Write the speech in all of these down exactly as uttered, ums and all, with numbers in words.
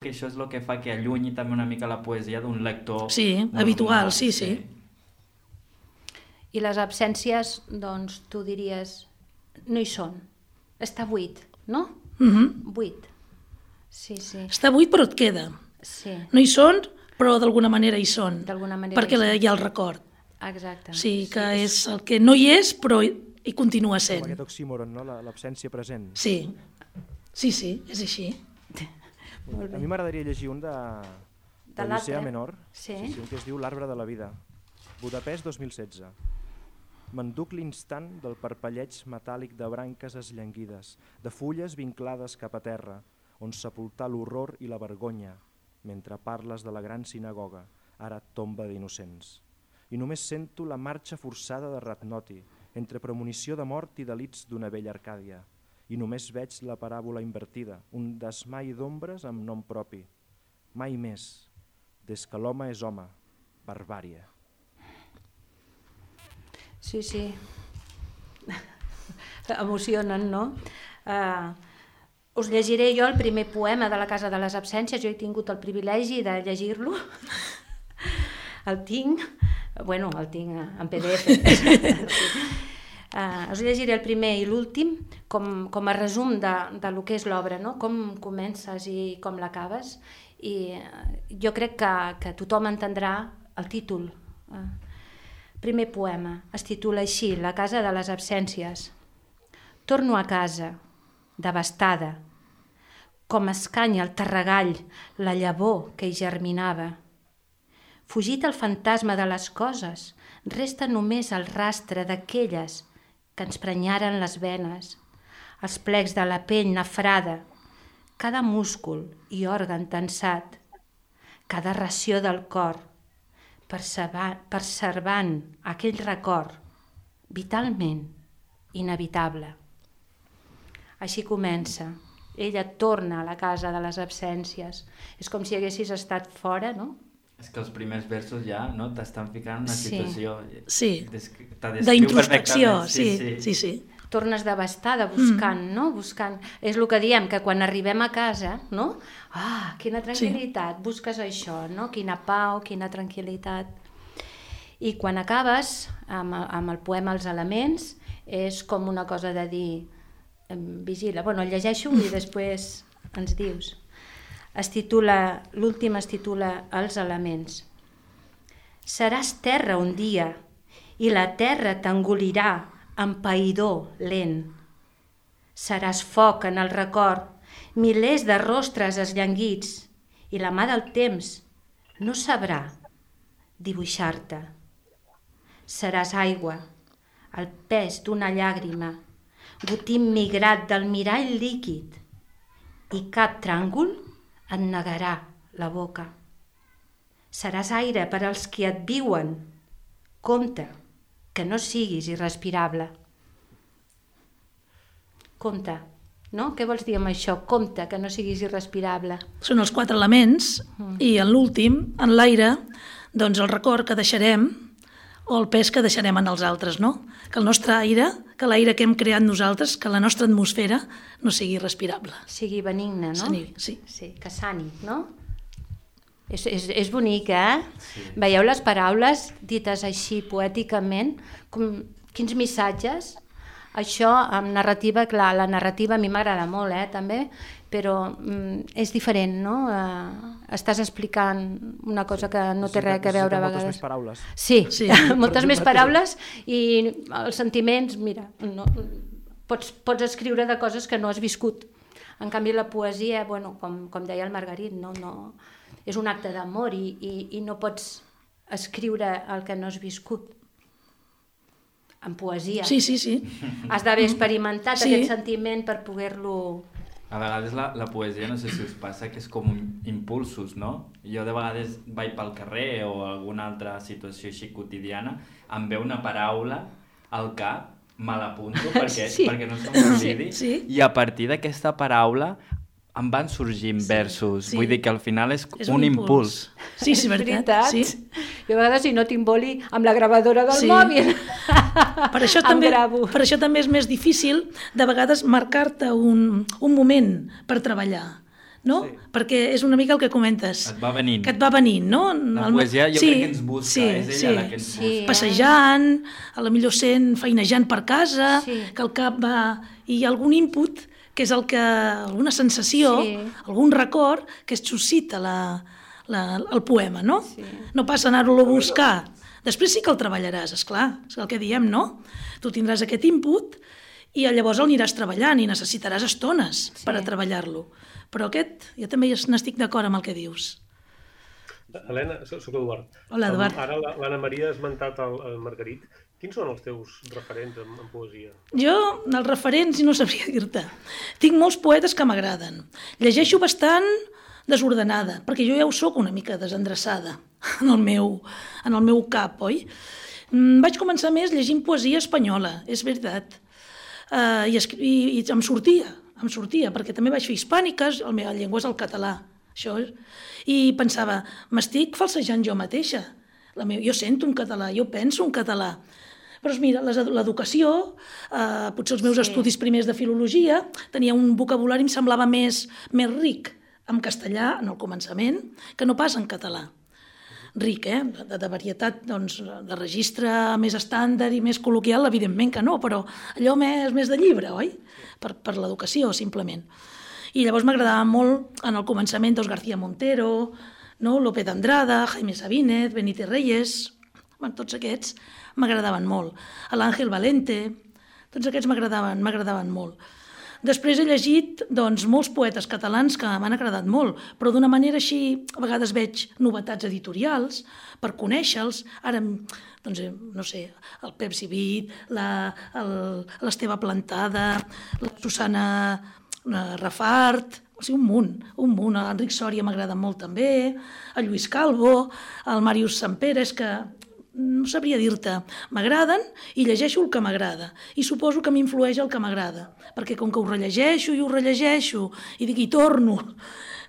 que això és el que fa que allunyi també una mica la poesia d'un lector sí, normal, habitual, sí, sí. I les absències, doncs, tu diries, no hi són. Està buit, no? Mm-hmm. Buit. Sí, sí. Està buit però et queda. Sí. No hi són, però d'alguna manera hi són. D'alguna manera perquè hi són. hi ha el record. Exacte. Sí, que sí, és el que no hi és, però hi continua sent. Com aquest oxímoron, no? L'absència present. Sí, sí, sí, és així. A mi m'agradaria llegir un de, de Licea Menor, sí. Sí, sí, un que es diu L'arbre de la vida. Budapest dos mil setze. M'enduc l'instant del parpelleig metàl·lic de branques esllanguides, de fulles vinclades cap a terra, on sepultar l'horror i la vergonya, mentre parles de la gran sinagoga, ara tomba d'innocents. I només sento la marxa forçada de Ratnoti, entre premonició de mort i delits d'una vella Arcàdia. I només veig la paràbola invertida, un desmai d'ombres amb nom propi. Mai més, des que l'home és home, barbària. Sí, sí. Emocionen, no? Uh, us llegiré jo el primer poema de la Casa de les Absències. Jo he tingut el privilegi de llegir-lo. El tinc, bueno, el tinc en P D F. Uh, us llegiré el primer i l'últim com, com a resum de, de lo que és l'obra, no? Com comences i com l'acabes. I uh, jo crec que, que tothom entendrà el títol. Uh, primer poema, es titula així, La casa de les absències. Torno a casa, devastada, com escanya el terregall, la llavor que hi germinava. Fugit el fantasma de les coses, resta només el rastre d'aquelles que ens prenyaren les venes, els plecs de la pell nafrada, cada múscul i òrgan tensat, cada ració del cor, preservant aquell record vitalment inevitable. Així comença. Ella torna a la casa de les absències. És com si haguessis estat fora, no? És que els primers versos ja no t'estan ficant en una Sí. situació... Sí, d'introspecció, sí, sí, sí, sí. Tornes devastada buscant, mm. no? Buscant. És el que diem, que quan arribem a casa, no? Ah, quina tranquil·litat, sí. Busques això, no? Quina pau, quina tranquil·litat. I quan acabes amb, amb el poema Els elements, és com una cosa de dir, vigila, bueno, el llegeixo i després ens dius. Es titula, l'últim es titula Els elements. Seràs terra un dia i la terra t'engolirà amb païdor lent. Seràs foc en el record, milers de rostres esllanguits i la mà del temps no sabrà dibuixar-te. Seràs aigua, el pes d'una llàgrima, gotim migrat del mirall líquid i cap tràngol et negarà la boca. Seràs aire per als qui et viuen. Compte, que no siguis irrespirable. Compte, no? Què vols dir amb això? Compte, que no siguis irrespirable. Són els quatre elements mm. i en l'últim, en l'aire, doncs el record que deixarem o el pes que deixarem en els altres, no? Que el nostre aire, que l'aire que hem creat nosaltres, que la nostra atmosfera no sigui respirable. Sigui benigne, no? Sani, sí. Sí, que sani, no? És, és, és bonic, eh? Sí. Veieu les paraules dites així poèticament? Com, quins missatges? Això, amb narrativa, clar, la narrativa a mi m'agrada molt, eh, també, però mm, és diferent, no? Uh, estàs explicant una cosa que no té res a veure a vegades. Moltes més paraules. Sí, sí. moltes més paraules i els sentiments, mira, no, pots, pots escriure de coses que no has viscut. En canvi, la poesia, bueno, com, com deia el Margarit, no, no, és un acte d'amor i, i, i no pots escriure el que no has viscut. En poesia. Sí, sí, sí. Has d'haver experimentat sí. aquest sentiment per poder-lo... A vegades la, la poesia, no sé si us passa, que és com un impulsos, no? Jo de vegades vaig pel carrer o alguna altra situació així quotidiana, em ve una paraula al cap, me l'apunto perquè, sí. perquè no se m'oblidi, sí, sí. I a partir d'aquesta paraula em van sorgint sí, versos. Sí. Vull dir que al final és, és un, un impuls. impuls. Sí, sí, és veritat. Sí. Jo a vegades si no tinc boli amb la gravadora del sí. mòbil per això, també, per això també és més difícil de vegades marcar-te un, un moment per treballar. no? Sí. Perquè és una mica el que comentes. Et va venint. Que et va venint, no? La El- poesia jo sí, crec que ens busca, sí, és ella sí. la que ens Sí. busca. Passejant, a la millor sent feinejant per casa, Sí. que el cap va... I hi ha algun input, que és el que... alguna sensació, Sí. algun record, que es suscita la, la, el poema, no? Sí. No passa anar-lo a buscar. Després sí que el treballaràs, esclar, és el que diem, no? Tu tindràs aquest input i llavors el aniràs treballant i necessitaràs estones Sí. per a treballar-lo. Però aquest, jo també n'estic d'acord amb el que dius. Helena, soc Eduard. Hola, Eduard. Um, ara la- l'Anna Maria ha esmentat el, el Margarit. Quins són els teus referents en, en poesia? Jo, els referents, no sabria dir-te. Tinc molts poetes que m'agraden. Llegeixo bastant desordenada, perquè jo ja ho sóc una mica desendreçada en el meu, en el meu cap, oi? Mm, vaig començar més llegint poesia espanyola, és veritat. Uh, i, i, I em sortia, em sortia, perquè també vaig fer hispàniques, la meva llengua és el català, això és. I pensava, m'estic falsejant jo mateixa. La meva, jo sento un català, jo penso un català. Però mira, les- l'educació, eh, potser els meus Sí. estudis primers de filologia, tenia un vocabulari, em semblava més, més ric en castellà, en el començament, que no pas en català. Ric, eh? De, de varietat, doncs, de registre més estàndard i més col·loquial, evidentment que no, però allò més, més de llibre, oi? Per, per l'educació, simplement. I llavors m'agradava molt, en el començament, doncs, García Montero, no? Lope d'Andrada, Jaime Sabínez, Benito Reyes, bueno, tots aquests m'agradaven molt. L'Àngel Valente, tots aquests m'agradaven, m'agradaven molt. Després he llegit doncs, molts poetes catalans que m'han agradat molt, però d'una manera així, a vegades veig novetats editorials per conèixer-los. Ara, doncs, eh, no sé, el Pep Civit, la- el- l'Esteve Plantada, la Susana eh, Rafart, o sigui, un munt, un munt. L'Enric Sòria m'agrada molt també, el Lluís Calvo, el Màrius Sampere, és que no sabria dir-te, m'agraden i llegeixo el que m'agrada. I suposo que m'influeix el que m'agrada, perquè com que ho rellegeixo i ho rellegeixo i dic, i torno,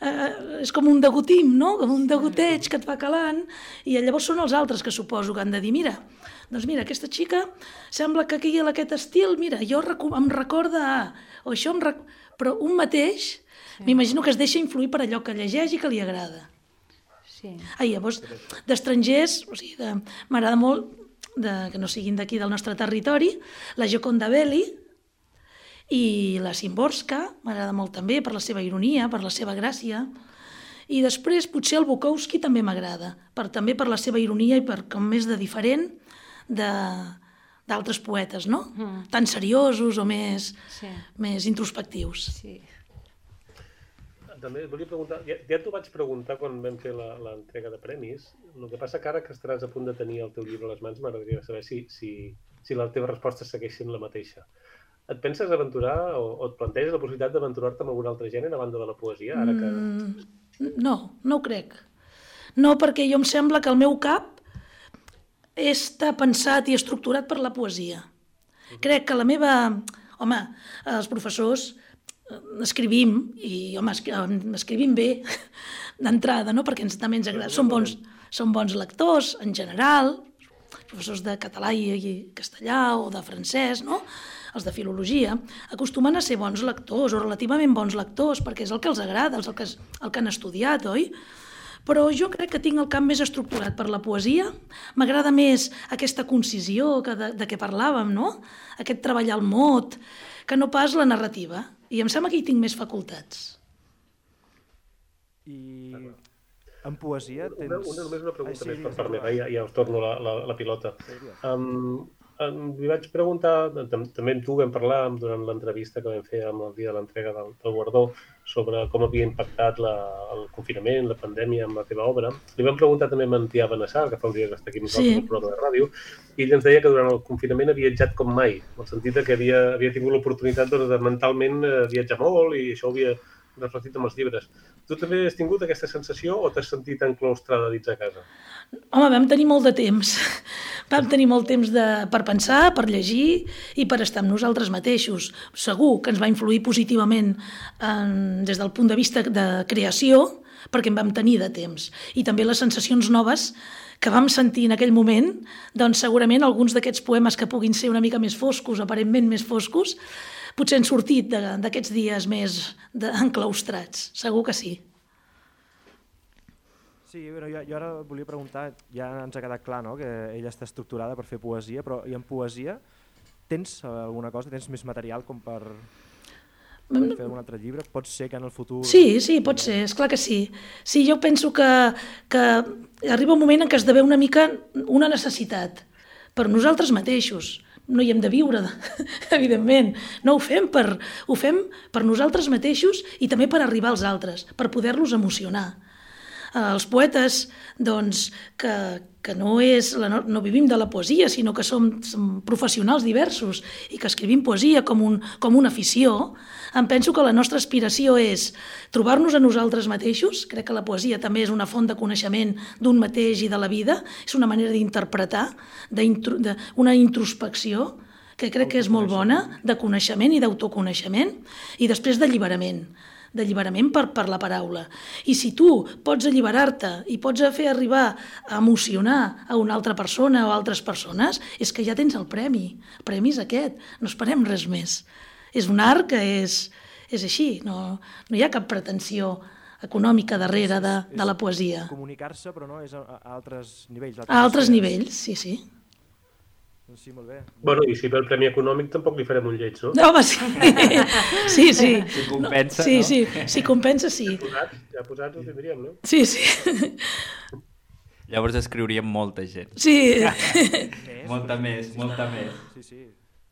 eh, és com un degotim, no? Com un degoteig que et va calant, i llavors són els altres que suposo que han de dir, mira, doncs mira, aquesta xica sembla que aquí en aquest estil, mira, jo recu- em recorda a... o això em rec... Però un mateix, sí. M'imagino que es deixa influir per allò que llegeix i que li agrada. Sí. Ah, i llavors, d'estrangers, o sigui, de- m'agrada molt, de, que no siguin d'aquí del nostre territori, la Gioconda Belli i la Szymborska, m'agrada molt també per la seva ironia, per la seva gràcia. I després potser el Bukowski també m'agrada, per, també per la seva ironia i per com més de diferent de d'altres poetes, no? Mm. Tan seriosos o més, Sí. més introspectius. Sí. També et volia preguntar, ja, ja t'ho vaig preguntar quan vam fer la- l'entrega de premis, el que passa que ara que estaràs a punt de tenir el teu llibre a les mans, m'agradaria saber si, si, si la teva resposta segueix sent la mateixa. Et penses aventurar o, o et planteges la possibilitat d'aventurar-te amb algun altre gènere a banda de la poesia? Ara que... Mm, no, no ho crec. No, perquè jo em sembla que el meu cap està pensat i estructurat per la poesia. Crec que la meva... Home, els professors eh, escrivim, i home, es- eh, escrivim bé d'entrada, no? Perquè ens, també ens agrada. Som bons, som bons lectors, en general, professors de català i, i castellà o de francès, no? Els de filologia, acostumen a ser bons lectors o relativament bons lectors, perquè és el que els agrada, és el que, el que han estudiat, oi? Però jo crec que tinc el camp més estructurat per la poesia. M'agrada més aquesta concisió que de, de què parlàvem, no? Aquest treballar el mot, que no pas la narrativa. I em sembla que hi tinc més facultats. I en poesia tens... Una, una, només una pregunta Ai, sí, més per digues, part meva, Eduard. ja, ja us torno la, la, la pilota. Sí, digues. Um, um, li vaig preguntar, tam també amb tu vam parlar durant l'entrevista que vam fer amb el dia de l'entrega del, del guardó sobre com havia impactat la, el confinament, la pandèmia amb la teva obra. Li vam preguntar també a en Tià Benassar, que fa uns dies que està aquí amb nosaltres Sí. al programa de ràdio, i ell ens deia que durant el confinament ha viatjat com mai, en el sentit de que havia, havia tingut l'oportunitat doncs, de mentalment eh, viatjar molt i això ho havia reflectit amb els llibres. Tu també has tingut aquesta sensació o t'has sentit enclaustrada dins a casa? Home, vam tenir molt de temps. Vam tenir molt temps de, per pensar, per llegir i per estar amb nosaltres mateixos. Segur que ens va influir positivament en, des del punt de vista de creació, perquè en vam tenir de temps. I també les sensacions noves que vam sentir en aquell moment, doncs segurament alguns d'aquests poemes que puguin ser una mica més foscos, aparentment més foscos, potser han sortit d'aquests dies més enclaustrats, segur que sí. Sí, però jo, jo ara volia preguntar, ja ens ha quedat clar, no?, que ella està estructurada per fer poesia, però i en poesia tens alguna cosa, tens més material com per, per fer un altre llibre? Pot ser que en el futur... Sí, sí, pot ser, esclar que sí. Sí, jo penso que, que arriba un moment en què esdevé una mica una necessitat per nosaltres mateixos. No hi hem de viure, evidentment. No ho fem per, ho fem per nosaltres mateixos i també per arribar als altres, per poder-los emocionar. Els poetes, doncs, que, que no, és, la, no vivim de la poesia, sinó que som, som professionals diversos i que escrivim poesia com, un, com una afició, em penso que la nostra aspiració és trobar-nos a nosaltres mateixos. Crec que la poesia també és una font de coneixement d'un mateix i de la vida, és una manera d'interpretar, una introspecció, que crec que és molt bona, de coneixement i d'autoconeixement, i després d'alliberament. d'alliberament per, per la paraula. I si tu pots alliberar-te i pots fer arribar a emocionar a una altra persona o altres persones, és que ja tens el premi. El premi és aquest, no esperem res més. És un art que és, és així, no, no hi ha cap pretensió econòmica darrere de, de la poesia. Comunicar-se, però no, és a, a altres nivells. A altres nivells, sí, sí. Sí, molt bé. Bueno, i si pel premi econòmic tampoc li farem un lleig, no? No, home, sí. Sí, sí. Si compensa, sí, no? Sí, si compensa, sí. Ja posats, ja posats ho tindríem, no? Sí, sí. Llavors escriuríem molta gent. Sí. Molta més, molta més. Sí, sí.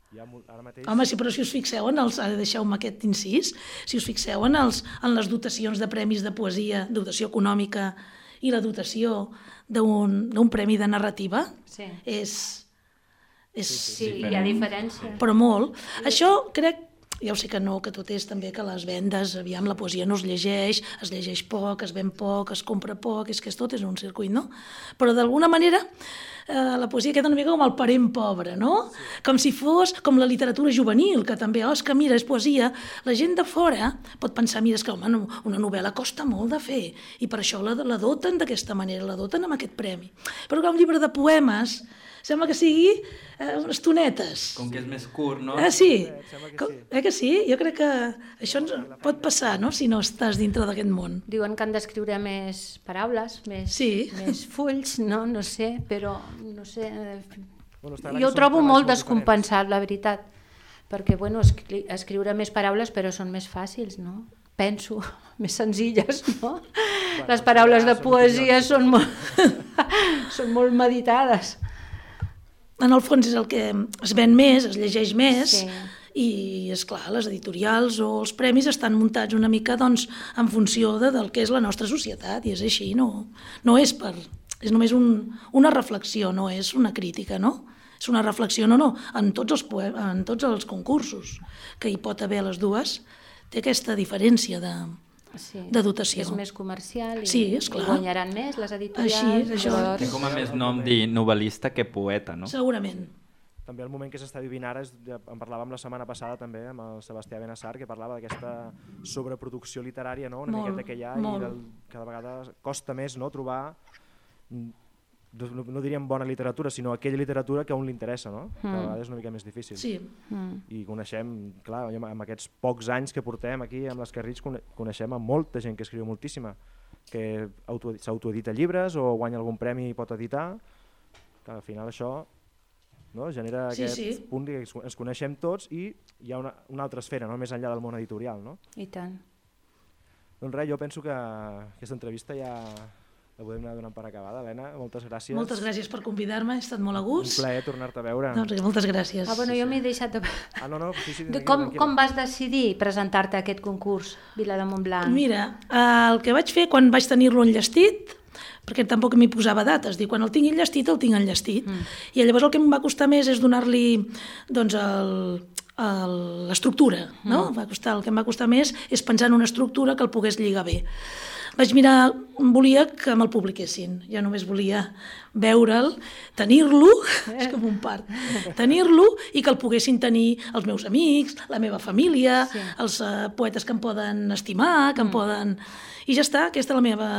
Hi ha molt, ara mateix... Home, sí, però si us fixeu en els... Ara deixeu-me aquest incís. Si us fixeu en, els, en les dotacions de premis de poesia, dotació econòmica i la dotació d'un premi de narrativa, sí. és... És... Sí, hi ha diferència. Però molt. Això crec, ja ho sé que no, que tot és també que les vendes, aviam, la poesia no es llegeix, es llegeix poc, es ven poc, es compra poc, és que és tot és un circuit, no? Però d'alguna manera eh, la poesia queda una mica com el parent pobre, no? Sí. Com si fos com la literatura juvenil, que també, oh, és que mira, és poesia. La gent de fora pot pensar, mira, és que home, una novel·la costa molt de fer i per això la, la doten d'aquesta manera, la doten amb aquest premi. Però que un llibre de poemes sembla que sigui eh, unes tonetes. Com que és més curt, no? Ah, sí. Sembla que Com, sí. eh que sí? Jo crec que això ens pot passar, no?, si no estàs dintre d'aquest món. Diuen que han d'escriure més paraules, més, Sí. més fulls, no? No sé, però no sé... Bueno, està clar Jo que ho són trobo treballs molt molt descompensat, la veritat. Perquè, bueno, escri escriure més paraules, però són més fàcils, no? Penso, més senzilles, no? Bueno, Les paraules de són poesia opinions. són molt, són molt meditades. En el fons és el que es ven més, es llegeix més, Sí. i, és clar, les editorials o els premis estan muntats una mica doncs, en funció de, del que és la nostra societat, i és així, no, no és per... És només un, una reflexió, no és una crítica, no? És una reflexió, no, no, en tots els, poe en tots els concursos que hi pot haver les dues, té aquesta diferència de, Sí. de dotació. És més comercial i, Sí, esclar. i guanyaran més les editorials. Així, això. llavors- Té com a més nom dir novel·lista que poeta, no? Segurament. També el moment que s'està vivint ara, és, ja en parlàvem la setmana passada també amb el Sebastià Benassar, que parlava d'aquesta sobreproducció literària, no? Una Molt, miqueta que hi ha, molt. i del, cada vegada costa més, no?, trobar, no, no diríem bona literatura, sinó aquella literatura que a un li interessa, no? Mm. Cada vegada és una mica més difícil. Sí. Mm. I coneixem, clar, amb aquests pocs anys que portem aquí amb les Carrits, coneixem a molta gent que escriu moltíssima, que s'autoedita llibres o guanya algun premi i pot editar, que al final això, no?, genera Sí, aquest sí. punt que ens coneixem tots i hi ha una, una altra esfera, no?, més enllà del món editorial, no? I tant. Doncs res, jo penso que aquesta entrevista ja la podem anar donant per acabada. Helena, moltes gràcies. Moltes gràcies per convidar-me, he estat molt a Un gust. plaer tornar-te a veure. Doncs moltes gràcies. Ah, bueno, jo m'he deixat de... Ah, no, no, sí, sí, de tranquil·la, com, tranquil·la. com vas decidir presentar-te a aquest concurs, Vila de Montblanc? Mira, el que vaig fer quan vaig tenir-lo enllestit, perquè tampoc m'hi posava dates, dic, quan el tinc enllestit, el tinc enllestit. Mm. I llavors el que em va costar més és donar-li doncs, l'estructura, no? Mm. Va costar, el que em va costar més és pensar en una estructura que el pogués lligar bé. vaig mirar, volia que me'l publiquessin, ja només volia veure'l, tenir-lo, és com un part, tenir-lo i que el poguessin tenir els meus amics, la meva família, sí. els uh, poetes que em poden estimar, que em mm. poden... I ja està, aquesta és la meva...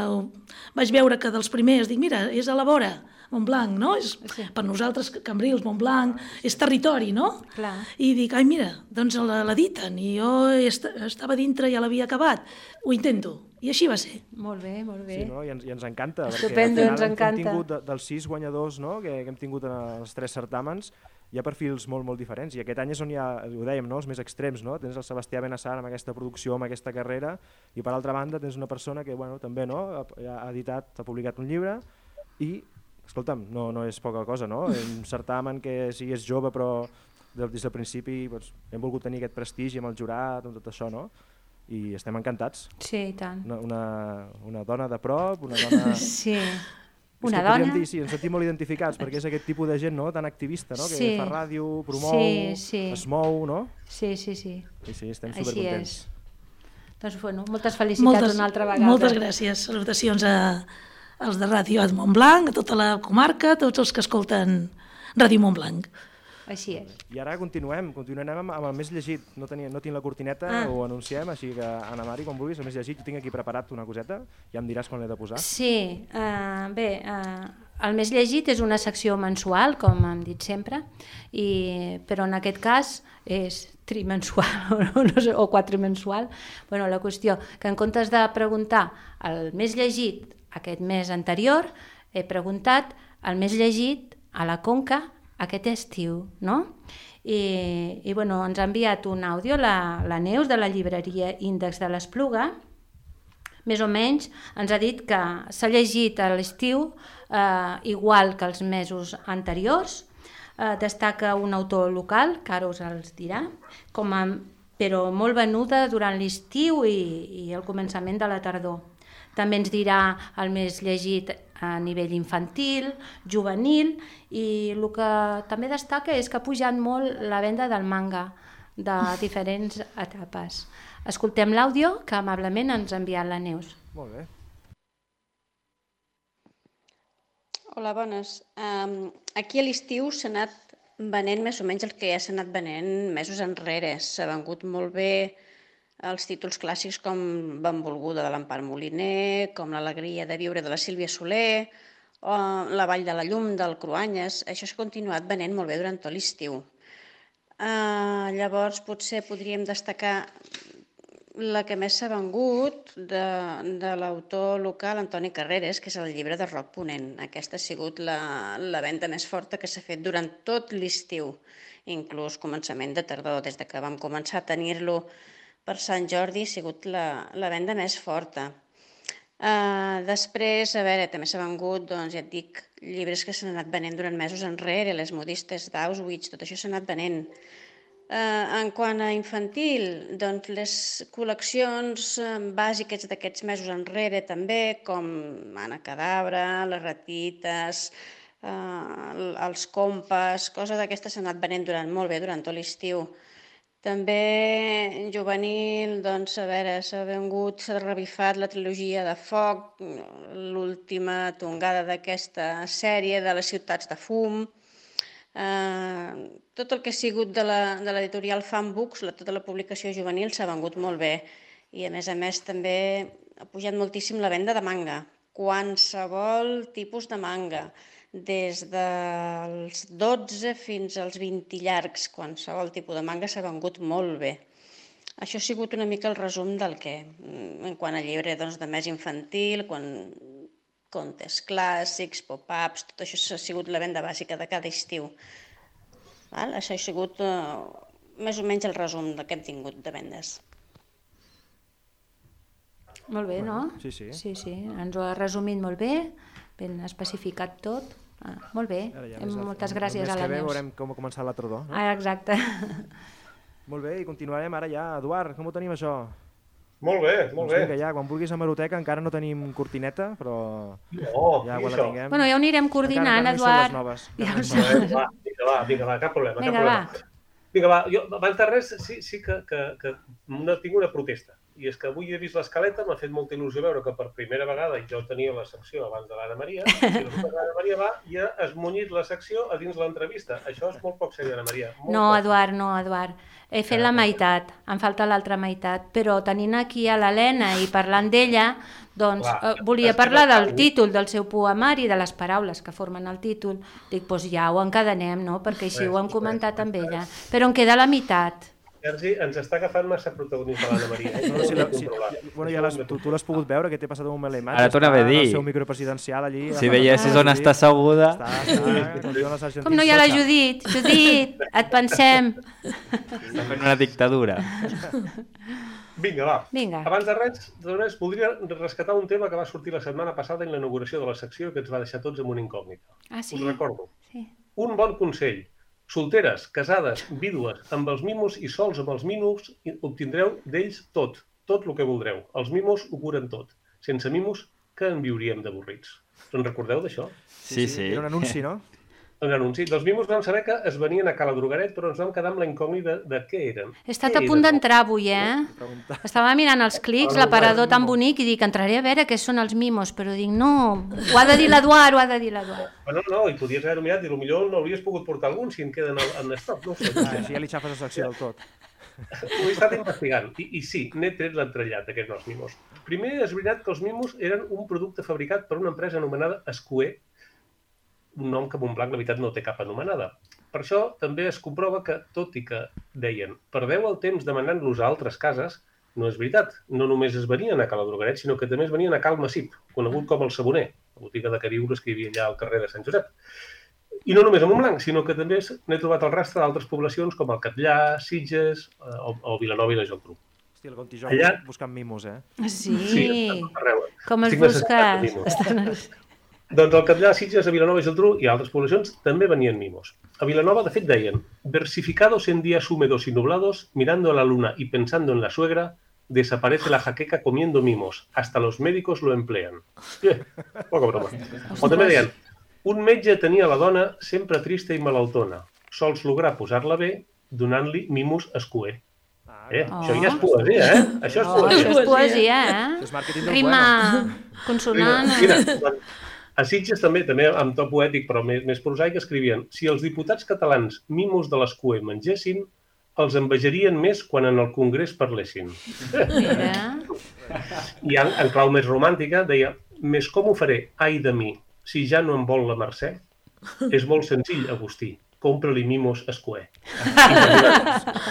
Vaig veure que dels primers, dic, mira, és a la vora, Montblanc, no? És, sí. Per nosaltres, Cambrils, Montblanc, és territori, no? Clar. I dic, ai, mira, doncs l'editen, i jo est estava dintre i ja l'havia acabat, ho intento. I així va ser. Molt bé, molt bé. Sí, no? I, ens, i ens encanta. Estupendo, ens encanta. Hem tingut de, dels sis guanyadors, no? que, que hem tingut en els tres certàmens, hi ha perfils molt, molt diferents. I aquest any és on hi ha, ho dèiem, no? Els més extrems. No? Tens el Sebastià Benassar amb aquesta producció, amb aquesta carrera, i per altra banda tens una persona que bueno, també no? ha, ha editat, ha publicat un llibre i, escolta'm, no, no és poca cosa, no? Un certamen que si és jove però des del principi doncs, hem volgut tenir aquest prestigi amb el jurat, amb tot això, no? I estem encantats. Sí, i tant. Una, una, una dona de prop, una dona... Sí, una dona... Dir, sí, ens sentim molt identificats perquè és aquest tipus de gent no? Tan activista, no? Sí. Que fa ràdio, promou, sí, sí. es mou, no? Sí, sí, sí. Sí, sí, estem Així supercontents. És. Doncs bueno, moltes felicitats moltes, una altra vegada. Moltes gràcies. Salutacions a, als de Ràdio Montblanc, a tota la comarca, a tots els que escolten Ràdio Montblanc. Així és. I ara continuem, continuem amb, amb el més llegit. No, tenia, no tinc la cortineta, ah. ho anunciem, així que Anna Mari, quan vulguis, el més llegit, jo tinc aquí preparat una coseta, ja em diràs quan l'he de posar. Sí, uh, bé, uh, el més llegit és una secció mensual, com hem dit sempre, i, però en aquest cas és trimensual o, no sé, o quatrimensual. Bueno, la qüestió que en comptes de preguntar el més llegit aquest mes anterior, he preguntat el més llegit a la Conca aquest estiu, no? I, i bueno, ens ha enviat un àudio la, la Neus de la llibreria Índex de l'Espluga. Més o menys ens ha dit que s'ha llegit a l'estiu eh, igual que els mesos anteriors. Eh, destaca un autor local, que ara us els dirà, com a, però molt venuda durant l'estiu i, i el començament de la tardor. També ens dirà el més llegit a nivell infantil, juvenil, i el que també destaca és que ha pujat molt la venda del manga de diferents etapes. Escoltem l'àudio que amablement ens ha enviat la Neus. Molt bé. Hola, bones. Um, aquí a l'estiu s'ha anat venent més o menys el que ja s'ha anat venent mesos enrere. S'ha vengut molt bé els títols clàssics com Benvolguda de l'Empar Moliner, com L'alegria de viure de la Sílvia Soler, o La vall de la llum del Cruanyes. Això s'ha continuat venent molt bé durant tot l'estiu. Uh, llavors potser podríem destacar la que més s'ha vengut de, de l'autor local Antoni Carreras, que és el llibre de Roc Ponent. Aquesta ha sigut la, la venda més forta que s'ha fet durant tot l'estiu, inclús començament de tardor, des de que vam començar a tenir-lo per Sant Jordi, ha sigut la, la venda més forta. Uh, després, a veure, també s'ha vengut, doncs ja et dic, llibres que s'han anat venent durant mesos enrere, Les modistes d'Auschwitz, tot això s'ha anat venent. Uh, en quant a infantil, doncs les col·leccions bàsiques d'aquests mesos enrere també, com Anna Cadabra, Les ratites, uh, els compes, coses d'aquestes s'han anat venent durant molt bé durant tot l'estiu. També juvenil, doncs, a veure, s'ha vengut, s'ha revifat la trilogia de Foc, l'última tongada d'aquesta sèrie de Les ciutats de fum. Eh, tot el que ha sigut de l'editorial Fan Books, la, tota la publicació juvenil, s'ha vengut molt bé. I, a més a més, també ha pujat moltíssim la venda de manga. Qualsevol tipus de manga. Des dels dotze fins als vint llargs, qualsevol tipus de manga s'ha vengut molt bé. Això ha sigut una mica el resum del que, en quant a llibre doncs, de més infantil, quan contes clàssics, pop-ups, tot això ha sigut la venda bàsica de cada estiu. Val? Això ha sigut uh, més o menys el resum del que hem tingut de vendes. Molt bé, no? Sí, sí. Sí, sí, ens ho ha resumit molt bé, ben especificat tot. Ah, molt bé, ja moltes gràcies a la Neus. El mes que ve veurem com ha començat la tardor. No? Ah, exacte. Molt bé, i continuarem ara ja. Eduard, com ho tenim això? Molt bé, molt doncs bé. Vinga, ja, quan vulguis a Maroteca encara no tenim cortineta, però no, ja quan la tinguem... Bueno, ja ho anirem coordinant, encara, Eduard. Encara no hi Ja són les noves. Va, vinga, va, vinga, va, cap problema. Vinga, cap problema. va. Vinga, va, jo abans de res sí, sí que, que, que una, tinc una protesta. I és que avui he vist l'escaleta, m'ha fet molta il·lusió veure que per primera vegada jo tenia la secció abans de l'Anna Maria, i l'Anna Maria va i ha esmunyit la secció a dins l'entrevista. Això és molt poc seriós, Anna Maria. No, Eduard, no, Eduard. He fet la meitat, em falta l'altra meitat, però tenint aquí a l'Helena i parlant d'ella, doncs eh, volia parlar del títol del seu poemari, de les paraules que formen el títol. Dic, doncs ja ho encadenem, no?, perquè així ho hem comentat amb ella. Però em queda la meitat. Sergi, ens està agafant massa protagonisme l'Anna Maria. Eh? No, si la, si, bueno, ja les, tu, tu l'has pogut veure, que t'he passat un moment la imatge. Ara t'anava a dir. El seu micropresidencial allí. Si veiessis on està asseguda... Està, està, com no hi ha la Judit? Judit, et pensem. Està fent una dictadura. Vinga, va. Vinga. Abans de res, de res, voldria rescatar un tema que va sortir la setmana passada en l'inauguració de la secció que ens va deixar tots amb una incògnita. Ah, sí? Us recordo. Sí. Un bon consell. Solteres, casades, vídues, amb els mimos i sols amb els mimos, obtindreu d'ells tot, tot el que voldreu. Els mimos ho curen tot. Sense mimos, que en viuríem d'avorrits. Us en recordeu d'això? Sí, sí. Era un anunci, no? Un anunci. Dels mimos vam saber que es venien a Cala Drogaret, però ens vam quedar amb la incògnita de, de què eren. He estat a punt d'entrar avui, eh? Estava mirant els clics, l'aparador tan bonic, i dic, entraré a veure què són els mimos, però dic, no, ho ha de dir l'Eduard, ho ha de dir l'Eduard. Bueno, no, i podies haver-ho mirat i potser no hauries pogut portar algun si en queden en estoc, no ho sé. Ah, així ja li xafes la secció del tot. Ho he estat investigant, i, i sí, n'he tret l'entrellat d'aquests nous mimos. Primer, és veritat que els mimos eren un producte fabricat per una empresa anomenada Escuer, un nom que Montblanc, la veritat, no té cap anomenada. Per això també es comprova que, tot i que deien, perdeu el temps demanant-los a altres cases, no és veritat. No només es venien a Cala Drogaret, sinó que també es venien a Cal Massip, conegut com el Saboner, la botiga de queriures que hi havia allà al carrer de Sant Josep. I no només a Montblanc, sinó que també n'he trobat el rastre d'altres poblacions com el Catllar, Sitges o, o Vilanova i la Geltrú. Hosti, el Contijoc Allà... buscant mimos, eh? Sí, sí arreu. Com els busques? Doncs al Catllar, Sitges, a Vilanova i Geltrú i altres poblacions també venien mimos. A Vilanova, de fet, deien versificados en días húmedos y nublados, mirando a la luna y pensando en la suegra, desaparece la jaqueca comiendo mimos. Hasta los médicos lo emplean. Eh, poca broma. O també deien, un metge tenia la dona sempre trista i malaltona. Sols lograr posar-la bé donant-li mimos escuer. Eh, oh. Això ja és poesia, eh? Això és oh, poesia. Això és poesia, eh? Rima consonant. Mira, mira, a Sitges també, també amb to poètic, però més, més prosaic, escrivien si els diputats catalans mimos de l'escuer mengessin, els envejarien més quan en el Congrés parlessin. Mira. I en, en clau més romàntica deia més com ho faré, ai de mi, si ja no em vol la Mercè? És molt senzill, Agustí. Compra-li mimos escuer.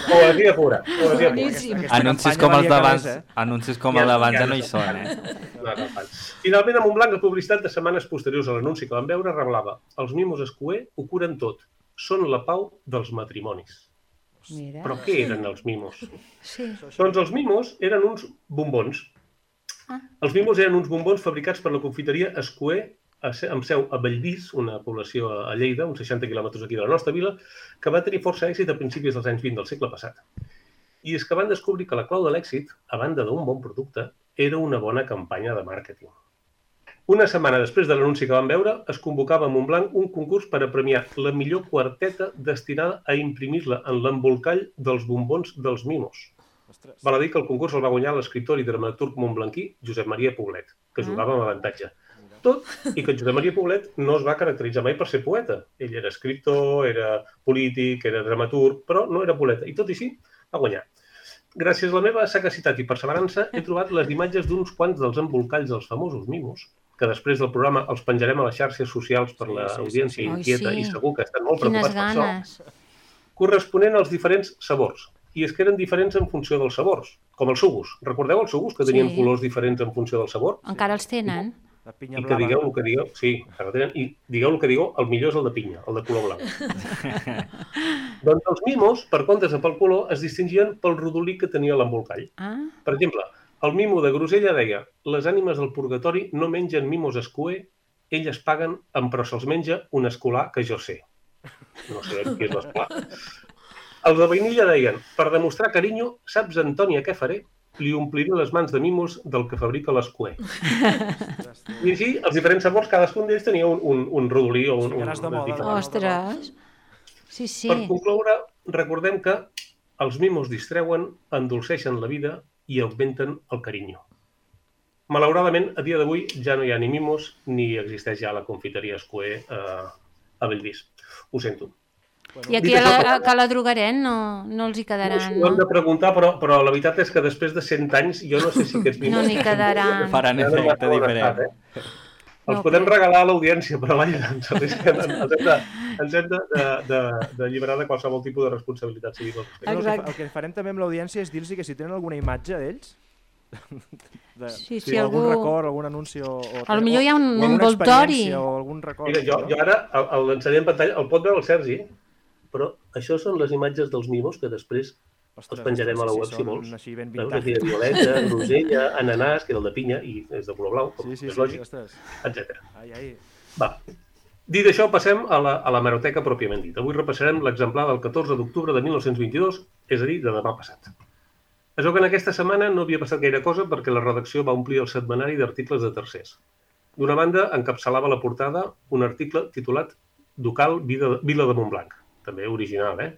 Poesia pura. Poesia pura. Anuncis com els d'abans, anuncis com els d'abans ja no hi són, eh? No, no, finalment, a Montblanc, la publicitat de setmanes posteriors a l'anunci que vam veure revelava els mimos escuer ho curen tot. Són la pau dels matrimonis. Mira. Però què eren els mimos? Sí. Doncs els mimos eren uns bombons. Ah. Els mimos eren uns bombons fabricats per la confiteria Escuer, amb seu a Bellvís, una població a Lleida, uns seixanta quilòmetres aquí de la nostra vila, que va tenir força èxit a principis dels anys vint del segle passat. I és que van descobrir que la clau de l'èxit, a banda d'un bon producte, era una bona campanya de màrqueting. Una setmana després de l'anunci que vam veure, es convocava a Montblanc un concurs per a premiar la millor quarteta destinada a imprimir-la en l'embolcall dels bombons dels mimos. Val a dir que el concurs el va guanyar l'escriptor i dramaturg montblanquí Josep Maria Poblet, que jugava amb avantatge. Tot i que Josep Maria Poblet no es va caracteritzar mai per ser poeta. Ell era escriptor, era polític, era dramaturg, però no era poeta. I tot i així, va guanyar. Gràcies a la meva sagacitat i perseverança, he trobat les imatges d'uns quants dels embolcalls dels famosos mimos, que després del programa els penjarem a les xarxes socials per l'audiència inquieta i segur que estan molt preocupats per això, corresponent als diferents sabors. I és que eren diferents en funció dels sabors, com els sugus. Recordeu els sugus que tenien colors diferents en funció del sabor? Encara els tenen. I que digueu el que digueu, sí, tenen, i digueu el que digueu, el millor és el de pinya, el de color blanc. Doncs els mimos, per comptes de pel color, es distingien pel rodolí que tenia l'embolcall. Ah. Per exemple, el mimo de Grosella deia les ànimes del purgatori no mengen mimos escuer, elles paguen, però se'ls menja un escolar que jo sé. No sé qui és l'escolar. Els de Vainilla deien, per demostrar carinyo, saps, Antònia, què faré? Li ompliré les mans de mimos del que fabrica l'escuer. I així, els diferents sabors, cadascun d'ells tenia un, un, un rodolí o un... un Ostres! Sí, sí. Per concloure, recordem que els mimos distreuen, endolceixen la vida i augmenten el carinyo. Malauradament, a dia d'avui ja no hi ha ni mimos ni existeix ja la confiteria Escuer eh, a Bellvís. Ho sento. I aquí a la, a la Drogaret no, no els hi quedaran, no? Ho hem de preguntar, però, però la veritat és que després de cent anys jo no sé si aquests mimos... No n'hi quedaran. Faran efecte diferent. Eh? Els podem regalar a l'audiència, però vaja, ens hem de, ens hem de, de, de, de alliberar de qualsevol tipus de responsabilitat civil. El que, el que farem també amb l'audiència és dir-los que si tenen alguna imatge d'ells, de, sí, sí, sí, algun algú... record, algun anunci o, o, a lo millor hi ha un o envoltori o algun record. Mira, jo, jo ara l'ensenyaré en pantalla, el pot veure el Sergi, però això són les imatges dels mimos que després Ostres, els penjarem a la web, si vols. Així ben veus, aquí de violeta, rosella, ananàs, que era el de pinya, i és de color blau, com sí, sí, és lògic, sí, etcètera. Ai, ai. Va. Dit això, passem a la, a la hemeroteca pròpiament dit. Avui repassarem l'exemplar del catorze d'octubre de mil nou-cents vint-i-dos, és a dir, de demà passat. Es veu que en aquesta setmana no havia passat gaire cosa perquè la redacció va omplir el setmanari d'articles de tercers. D'una banda, encapçalava la portada un article titulat Ducal Vila de Montblanc, també original, eh?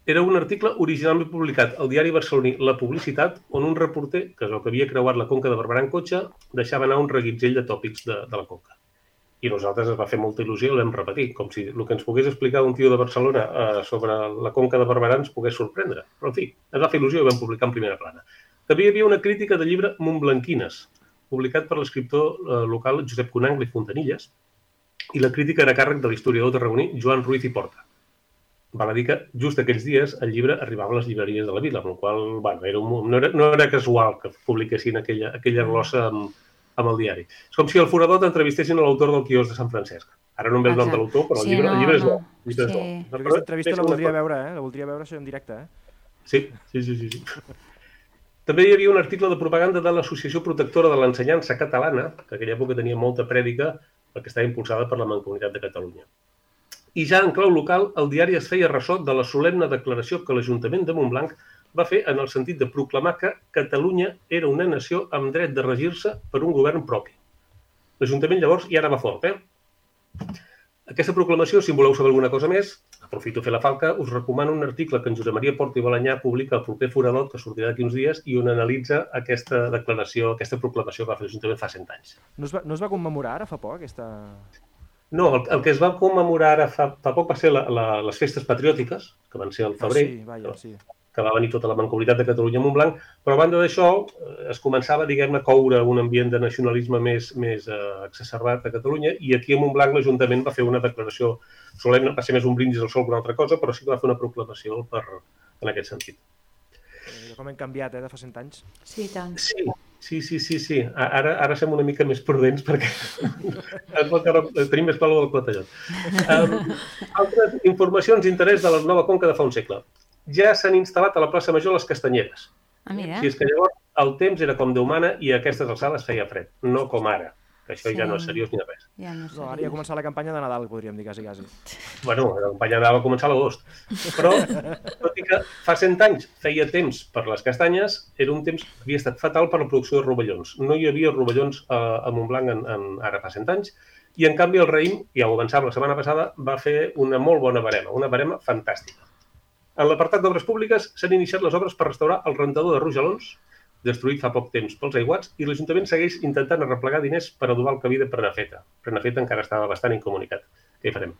Era un article originalment publicat al diari barceloní La Publicitat, on un reporter, que és el que havia creuat la Conca de Barberà en cotxe, deixava anar un reguitzell de tòpics de, de la Conca. I nosaltres es va fer molta il·lusió i el vam repetir, com si el que ens pogués explicar un tio de Barcelona eh, sobre la Conca de Barberà ens pogués sorprendre. Però, en fi, ens va fer il·lusió i vam publicar en primera plana. També hi havia una crítica del llibre Montblanquines, publicat per l'escriptor eh, local Josep Conangle i Fontanilles, i la crítica era a càrrec de l'historiador tarragoní Joan Ruiz i Porta. Val a dir que just aquells dies el llibre arribava a les llibreries de la vila, amb la qual cosa, bueno, era un, no, era, no era casual que publiquessin aquella, aquella glossa amb, amb el diari. És com si al forador t'entrevistessin a l'autor del quiosc de Sant Francesc. Ara no em ve el nom de l'autor, però el, sí, llibre, no, el llibre és bo. no. Llibre és bo. Sí. Jo aquesta entrevista la voldria veure, eh? La voldria veure això en directe, eh? Sí, sí, sí, sí. sí. També hi havia un article de propaganda de l'Associació Protectora de l'Ensenyança Catalana, que en aquella època tenia molta prèdica, perquè estava impulsada per la Mancomunitat de Catalunya. I ja en clau local, el diari es feia ressò de la solemne declaració que l'Ajuntament de Montblanc va fer en el sentit de proclamar que Catalunya era una nació amb dret de regir-se per un govern propi. L'Ajuntament llavors ja anava fort, eh? Aquesta proclamació, si en voleu saber alguna cosa més, aprofito a fer la falca, us recomano un article que en Josep Maria Porta i Balanyà publica al proper Foradot, que sortirà d'aquí uns dies, i on analitza aquesta declaració, aquesta proclamació que va fer l'Ajuntament fa cent anys. No es va, no es va commemorar ara fa poc, aquesta... No, el, el que es va commemorar ara fa, fa poc va ser la, la, les festes patriòtiques, que van ser al febrer, ah, sí, vaja, sí. que va venir tota la Mancomunitat de Catalunya a Montblanc, però a banda d'això es començava, diguem-ne, a coure un ambient de nacionalisme més, més eh, exacerbat a Catalunya, i aquí a Montblanc l'Ajuntament va fer una declaració solemne, va ser més un brindis al sol que una altra cosa, però sí que va fer una proclamació per, en aquest sentit. Com hem canviat, eh, de fa cent anys. Sí, tant. Sí, sí, sí, sí, sí. Ara, ara som una mica més prudents perquè tenim més palo del clatellot. Um, altres informacions d'interès de la nova Conca de fa un segle. Ja s'han instal·lat a la plaça Major les castanyeres. Ah, mira. Si és que llavors el temps era com Déu mana i a aquestes alçades feia fred, no com ara, que això sí. ja no és seriós ni res. Ja no, no, ara ja ha començat la campanya de Nadal, podríem dir, quasi, quasi. Bueno, la campanya de Nadal va començar a l'agost. Però, tot i que fa cent anys feia temps per les castanyes, era un temps que havia estat fatal per la producció de rovellons. No hi havia rovellons a, a Montblanc en, en, ara fa cent anys, i en canvi el raïm, ja ho avançava la setmana passada, va fer una molt bona barema, una barema fantàstica. En l'apartat d'obres públiques s'han iniciat les obres per restaurar el rentador de Rojalons, destruït fa poc temps pels aiguats, i l'Ajuntament segueix intentant arreplegar diners per adobar el camí de Prenafeta. Prenafeta encara estava bastant incomunicat. Què hi farem?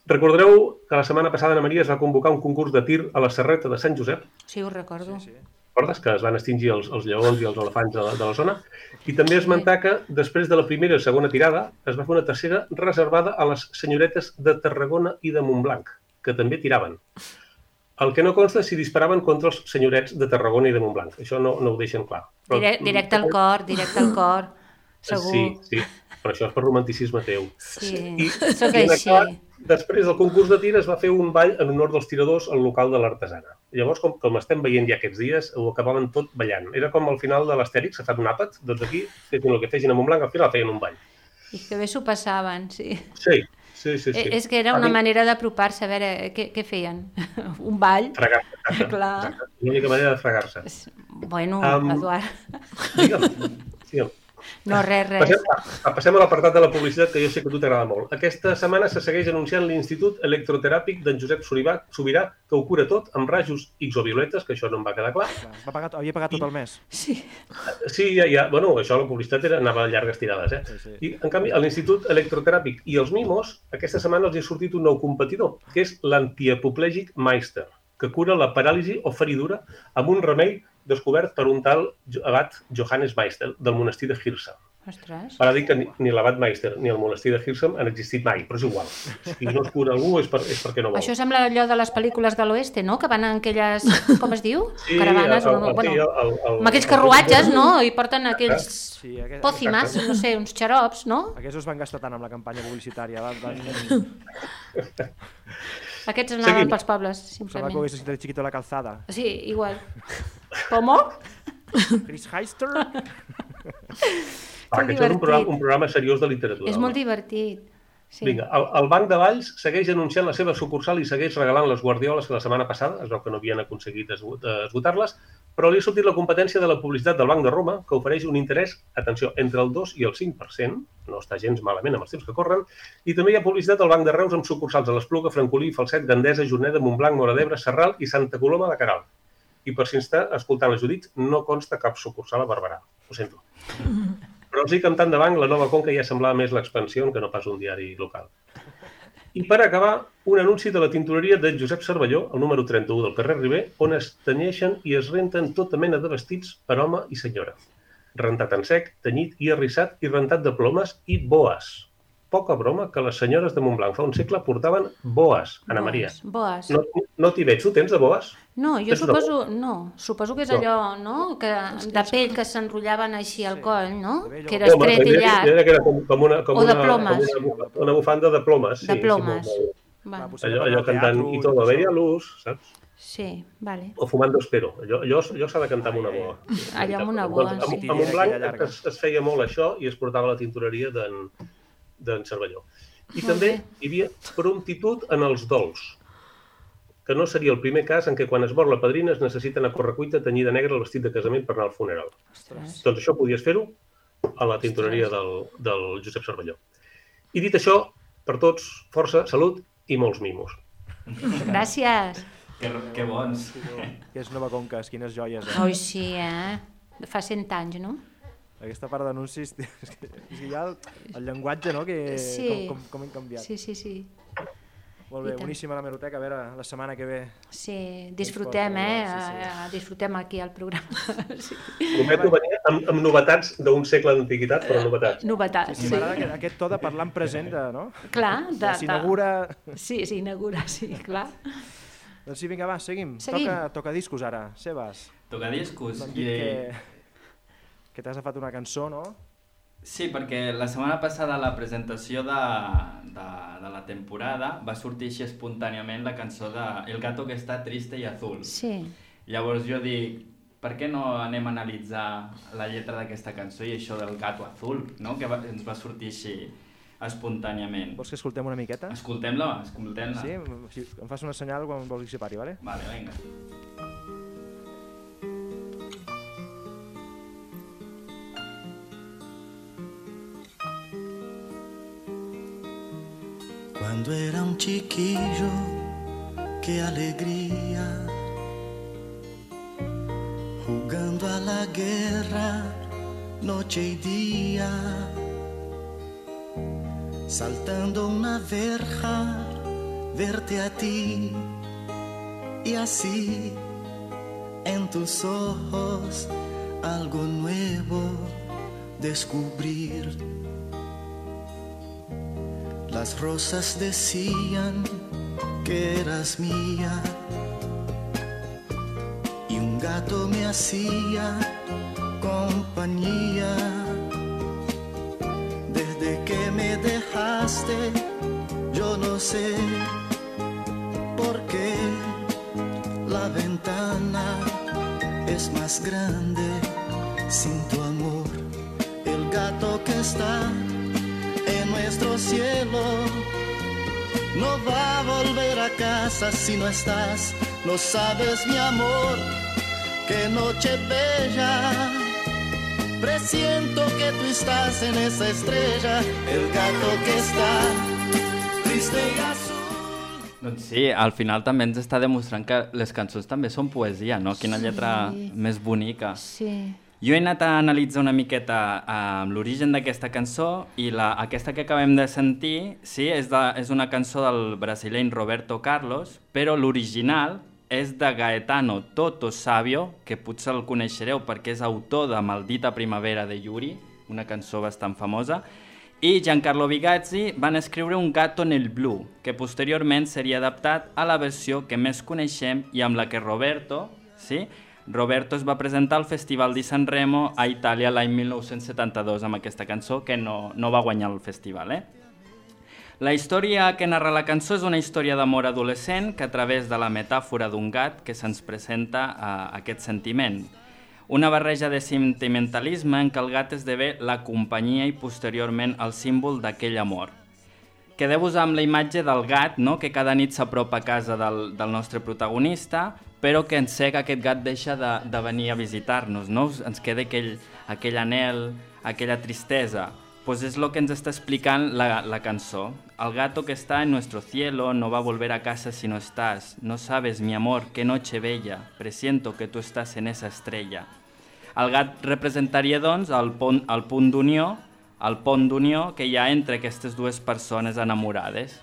Recordareu que la setmana passada Ana Maria es va convocar un concurs de tir a la Serreta de Sant Josep? Sí, ho recordo. Sí, sí. Recordes que es van extingir els, els lleons i els elefants de la, de la zona? I també esmentar que després de la primera i segona tirada es va fer una tercera reservada a les senyoretes de Tarragona i de Montblanc, que també tiraven. El que no consta és si disparaven contra els senyorets de Tarragona i de Montblanc. Això no, no ho deixen clar. Però... Direct, directe al cor, directe al cor, segur. Sí, sí, però això és per romanticisme teu. Sí, I, sóc i així. acabat, després del concurs de tir es va fer un ball en honor dels tiradors al local de l'Artesana. Llavors, com, com estem veient ja aquests dies, ho acabaven tot ballant. Era com al final de l'Astèrix, s'ha fet un àpat, doncs aquí, fessin el que fessin a Montblanc, al final feien un ball. I que bé s'ho passaven, sí. Sí. Sí, sí, sí. És que era una manera d'apropar-se, a veure, què, què feien? Un ball? Fregar-se. Clar. L'única manera de fregar-se. Bueno, um, Eduard. Digue'm, digue'm. No, res, res. Passem, passem a l'apartat de la publicitat, que jo sé que a tu t'agrada molt. Aquesta setmana se segueix anunciant l'Institut Electroteràpic d'en Josep Sobirà, que ho cura tot amb rajos exovioletes, que això no em va quedar clar. Va pagar, havia pagat tot el mes. Sí. Sí, ja, ja. Bueno, això la publicitat era, anava a llargues tirades, eh? Sí, sí. I, en canvi, a l'Institut Electroteràpic i els Mimos, aquesta setmana els hi ha sortit un nou competidor, que és l'antiapoplegic Meister, que cura la paràlisi o feridura amb un remei descobert per un tal abat Johannes Meister, del monestir de Hirsa. Ostres. Ara dic que ni, ni l'abat Meister ni el monestir de Hirsa han existit mai, però és igual. Si no es cura algú és, per, és perquè no vol. Això sembla allò de les pel·lícules de l'oeste, no? Que van en aquelles, com es diu? Sí, caravanes, el, el, o, bueno, el, el, el, amb aquells carruatges, no? I porten aquells sí, aquest, pòcimes, no sé, uns xarops, no? Aquests es van gastar tant amb la campanya publicitària. Van, van... Aquests anaven Seguim. pels pobles, simplement. Sembla que ho hagués escrit Chiquito la calzada. Sí, igual. ¿Cómo? Chris Heister. Ah, aquest és un programa, un programa seriós de literatura. És molt divertit. Sí. Vinga, el, el Banc de Valls segueix anunciant la seva sucursal i segueix regalant les guardioles que la setmana passada, es veu que no havien aconseguit esgotar-les, però li ha sortit la competència de la publicitat del Banc de Roma, que ofereix un interès, atenció, entre el dos i el cinc per cent, no està gens malament amb els temps que corren, i també hi ha publicitat del Banc de Reus amb sucursals a l'Espluga, Francolí, Falset, Gandesa, Juneda, Montblanc, Móra d'Ebre, Sarral i Santa Coloma de Queralt. I per si està escoltant els Judits, no consta cap sucursal a Barberà. Ho sento. Però els dic que amb tant de banc, la nova Conca ja semblava més l'expansió que no pas un diari local. I per acabar, un anunci de la tintoreria de Josep Cervelló, el número trenta-u del carrer Riber, on es tenyeixen i es renten tota mena de vestits per home i senyora. Rentat en sec, tenyit i arrissat i rentat de plomes i boes. Poca broma que les senyores de Montblanc fa un segle portaven boes, Anna Maria. Boes. No, no t'hi veig, tu tens de boes? No, jo Tens suposo, no, suposo que és allò, no?, que de pell que s'enrotllaven així al coll, no?, que era estret i llarg. Que era com, com una, com o de una, plomes. Com una, una bufanda de plomes. De sí, plomes. Sí, Va. allò, allò cantant i tot, la veia a l'ús, saps? Sí, vale. O fumando espero. Allò, allò, allò s'ha de cantar amb una boa. Allò amb una boa, doncs, sí. A Montblanc es, es feia molt això i es portava la tintoreria d'en Cervelló. I Molt també bé. hi havia prontitud en els dols, que no seria el primer cas en què quan es mor la padrina es necessita anar a correcuita tenyir de negre el vestit de casament per anar al funeral. Ostres. Doncs això podies fer-ho a la tintoreria del, del Josep Cervelló. I dit això, per tots, força, salut i molts mimos. Gràcies. Que, que bons. Que és Nova Conques, quines joies, eh? Oi, sí, eh? Fa cent anys, no? Aquesta part d'anuncis, és que hi ha el, el llenguatge, no?, que Sí. com, com, com hem canviat. Sí, sí, sí. Molt bé, boníssima la meroteca, a veure, la setmana que ve. Sí, disfrutem, eh? Sí, sí. Eh, Disfrutem aquí al programa. Sí. Prometo venir amb, amb novetats d'un segle d'antiguitat, però novetats. Novetats, Sí, sí. m'agrada aquest, aquest to de parlar en present, de, no? Clar, de... S'inaugura... de- Sí, s'inaugura, sí, clar. Doncs sí, vinga, va, seguim. Seguim. Toca, toca discos ara, Sebas. Tocadiscos. M'han I... dit que, que t'has agafat una cançó, no? Sí, perquè la setmana passada a la presentació de, de, de la temporada va sortir així espontàniament la cançó de El gato que està triste i azul. Sí. Llavors jo dic, per què no anem a analitzar la lletra d'aquesta cançó i això del gato azul, no? Que va, ens va sortir així espontàniament. Vols que escoltem una miqueta? Escoltem-la, escoltem-la. Sí? Si em fas una senyal quan vols que separi, vale? Vale, vinga. Cuando era un chiquillo, qué alegría, jugando a la guerra, noche y día, saltando una verja, verte a ti, y así en tus ojos algo nuevo descubrir. Las rosas decían que eras mía y un gato me hacía compañía. Desde que me dejaste, yo no sé por qué la ventana es más grande sin tu amor. El gato que está en nuestro cielo no va a volver a casa si no estás. No sabes, mi amor, qué noche bella Presiento que tú estás en esa estrella, el gato que està triste i azul. Doncs sí, al final també ens està demostrant que les cançons també són poesia, no? Quina lletra Sí. més bonica. Sí. Jo he anat a analitzar una miqueta eh, l'origen d'aquesta cançó i la, aquesta que acabem de sentir sí, és, de, és una cançó del brasileny Roberto Carlos, però l'original és de Gaetano Toto Savio, que potser el coneixereu perquè és autor de Maldita Primavera de Yuri, una cançó bastant famosa, i Giancarlo Bigazzi van escriure Un gato nel blu, que posteriorment seria adaptat a la versió que més coneixem i amb la que Roberto, sí, Roberto es va presentar al Festival di Sanremo a Itàlia l'any mil nou-cents setanta-dos amb aquesta cançó, que no, no va guanyar el festival. Eh? La història que narra la cançó és una història d'amor adolescent que a través de la metàfora d'un gat que se'ns presenta a aquest sentiment. Una barreja de sentimentalisme en què el gat esdevé la companyia i posteriorment el símbol d'aquell amor. Quedeu-vos amb la imatge del gat, no? Que cada nit s'apropa a casa del, del nostre protagonista, però que en sé que aquest gat deixa de, de venir a visitar-nos, no? Ens queda aquell, aquell anhel, aquella tristesa. Pues és el que ens està explicant la, la cançó. El gato que está en nuestro cielo no va a volver a casa si no estás. No sabes, mi amor, qué noche bella. Presiento que tú estás en esa estrella. El gat representaria, doncs, el pont, el punt d'unió, el pont d'unió que hi ha entre aquestes dues persones enamorades.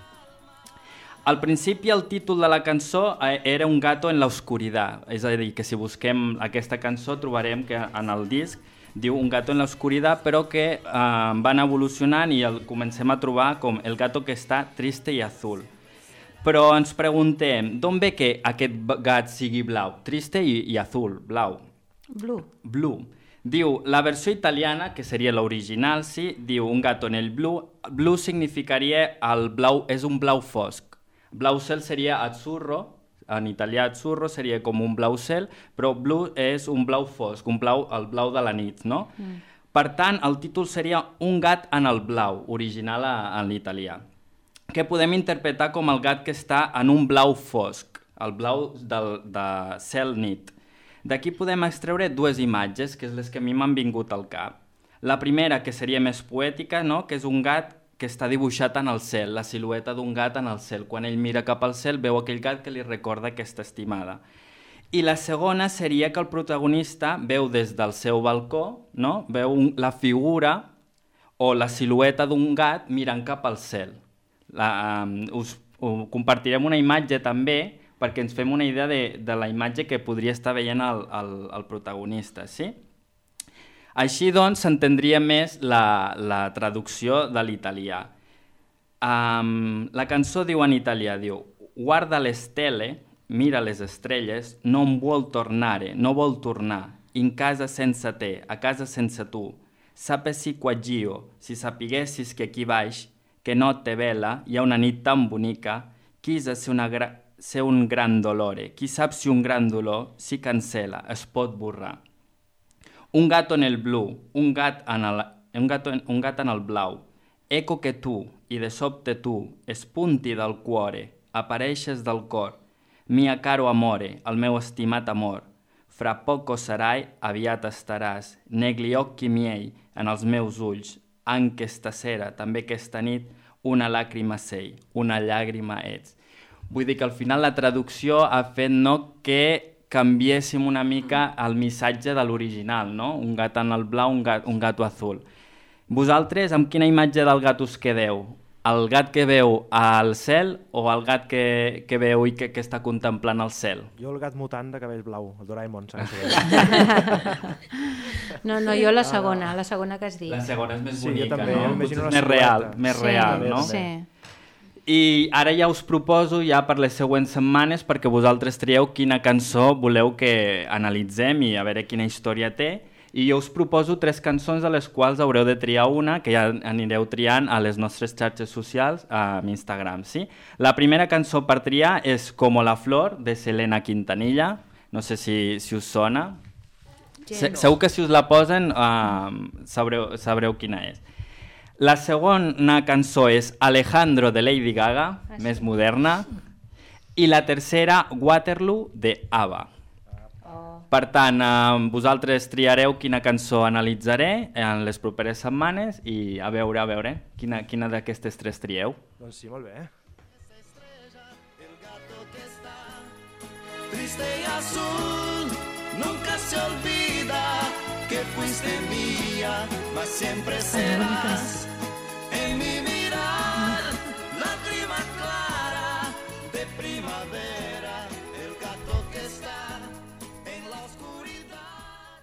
Al principi el títol de la cançó era Un gato en la oscuridad, és a dir, que si busquem aquesta cançó trobarem que en el disc diu Un gato en la oscuridad, però que eh, van evolucionant i el comencem a trobar com El gato que està triste i azul. Però ens preguntem, d'on ve que aquest gat sigui blau? Triste i, i azul, blau. Blue. Blue. Diu, la versió italiana, que seria l'original, sí, diu Un gato en el blu. Blue significaria el blau, és un blau fosc. Blau cel seria azzurro, en italià azzurro seria com un blau cel, però blue és un blau fosc, un blau, el blau de la nit, no? Mm. Per tant, el títol seria Un gat en el blau, original a, en l'italià, que podem interpretar com el gat que està en un blau fosc, el blau del, de cel nit. D'aquí podem extreure dues imatges, que és les que a mi m'han vingut al cap. La primera, que seria més poètica, no? Que és un gat que està dibuixat en el cel, la silueta d'un gat en el cel. Quan ell mira cap al cel veu aquell gat que li recorda aquesta estimada. I la segona seria que el protagonista veu des del seu balcó, no? Veu un, la figura o la silueta d'un gat mirant cap al cel. La, um, us uh, compartirem una imatge també perquè ens fem una idea de, de la imatge que podria estar veient el, el, el protagonista, sí? Així, doncs, s'entendria més la, la traducció de l'italià. Um, la cançó diu en italià, diu guarda le stelle, mira les estrelles, non vuol tornare, no vol tornar, in casa sense te, a casa sense tu. Sapessi quaggio, si sapiguessis que aquí baix, que notte bella, hi ha una nit tan bonica, quizá ser, una gra ser un gran dolore, qui sap si un gran dolor si cancela, es pot borrar. Un gato en el blu, un gat en el, un gato en, un gat en el blau. Eco que tu, i de sobte tu, espunti del cuore, apareixes del cor. Mia caro amore, el meu estimat amor. Fra poco sarai, aviat estaràs. Negli occhi miei, en els meus ulls. Anche stasera, també aquesta nit, una làgrima sei, una llàgrima ets. Vull dir que al final la traducció ha fet no que canviéssim una mica el missatge de l'original, no? Un gat en el blau, un, gat, un gato azul. Vosaltres, amb quina imatge del gat us quedeu? El gat que veu al cel o el gat que, que veu i que, que està contemplant el cel? Jo el gat mutant de cabell blau, el Doraemon, saps? No, no, jo la segona, la segona que has dit. La segona és més Sí, jo bonica, també, no? m'imagino Potser una més real, silueta. més Sí, real, no? Sí. I ara ja us proposo ja per les següents setmanes perquè vosaltres trieu quina cançó voleu que analitzem i a veure quina història té. I jo us proposo tres cançons de les quals haureu de triar una, que ja anireu triant a les nostres xarxes socials, a Instagram, sí? La primera cançó per triar és Como la flor, de Selena Quintanilla. No sé si, si us sona. Se, segur que si us la posen uh, sabreu, sabreu quina és. La segona cançó és Alejandro, de Lady Gaga, ah, sí. Més moderna. I la tercera, Waterloo, de ABBA. Oh. Per tant, eh, vosaltres triareu quina cançó analitzaré en les properes setmanes i a veure, a veure, quina, quina d'aquestes tres trieu. Doncs sí, molt bé. Triste y azul, nunca se olvida que fuiste mía, mas siempre serás en mi mirar, lágrima clara de primavera, el gato que está en la oscuridad.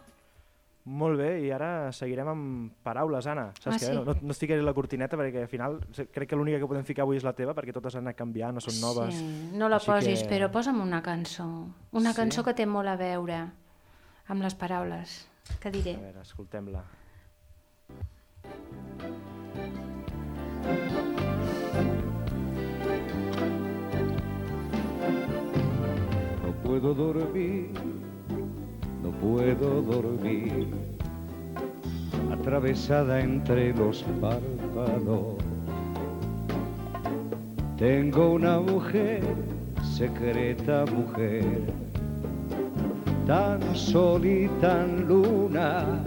Molt bé, i ara seguirem amb paraules, Anna. Saps Ah, què? sí? No, no es ficaré la cortineta perquè al final crec que l'única que podem ficar avui és la teva perquè totes han anat canviant, no són noves. Sí, no la Així posis, que- però posa'm una cançó. Una Sí? cançó que té molt a veure amb les paraules que diré. A veure, escoltem-la. No puedo dormir, no puedo dormir, atravesada entre los párpados. Tengo una mujer, secreta mujer, tan sol y tan luna,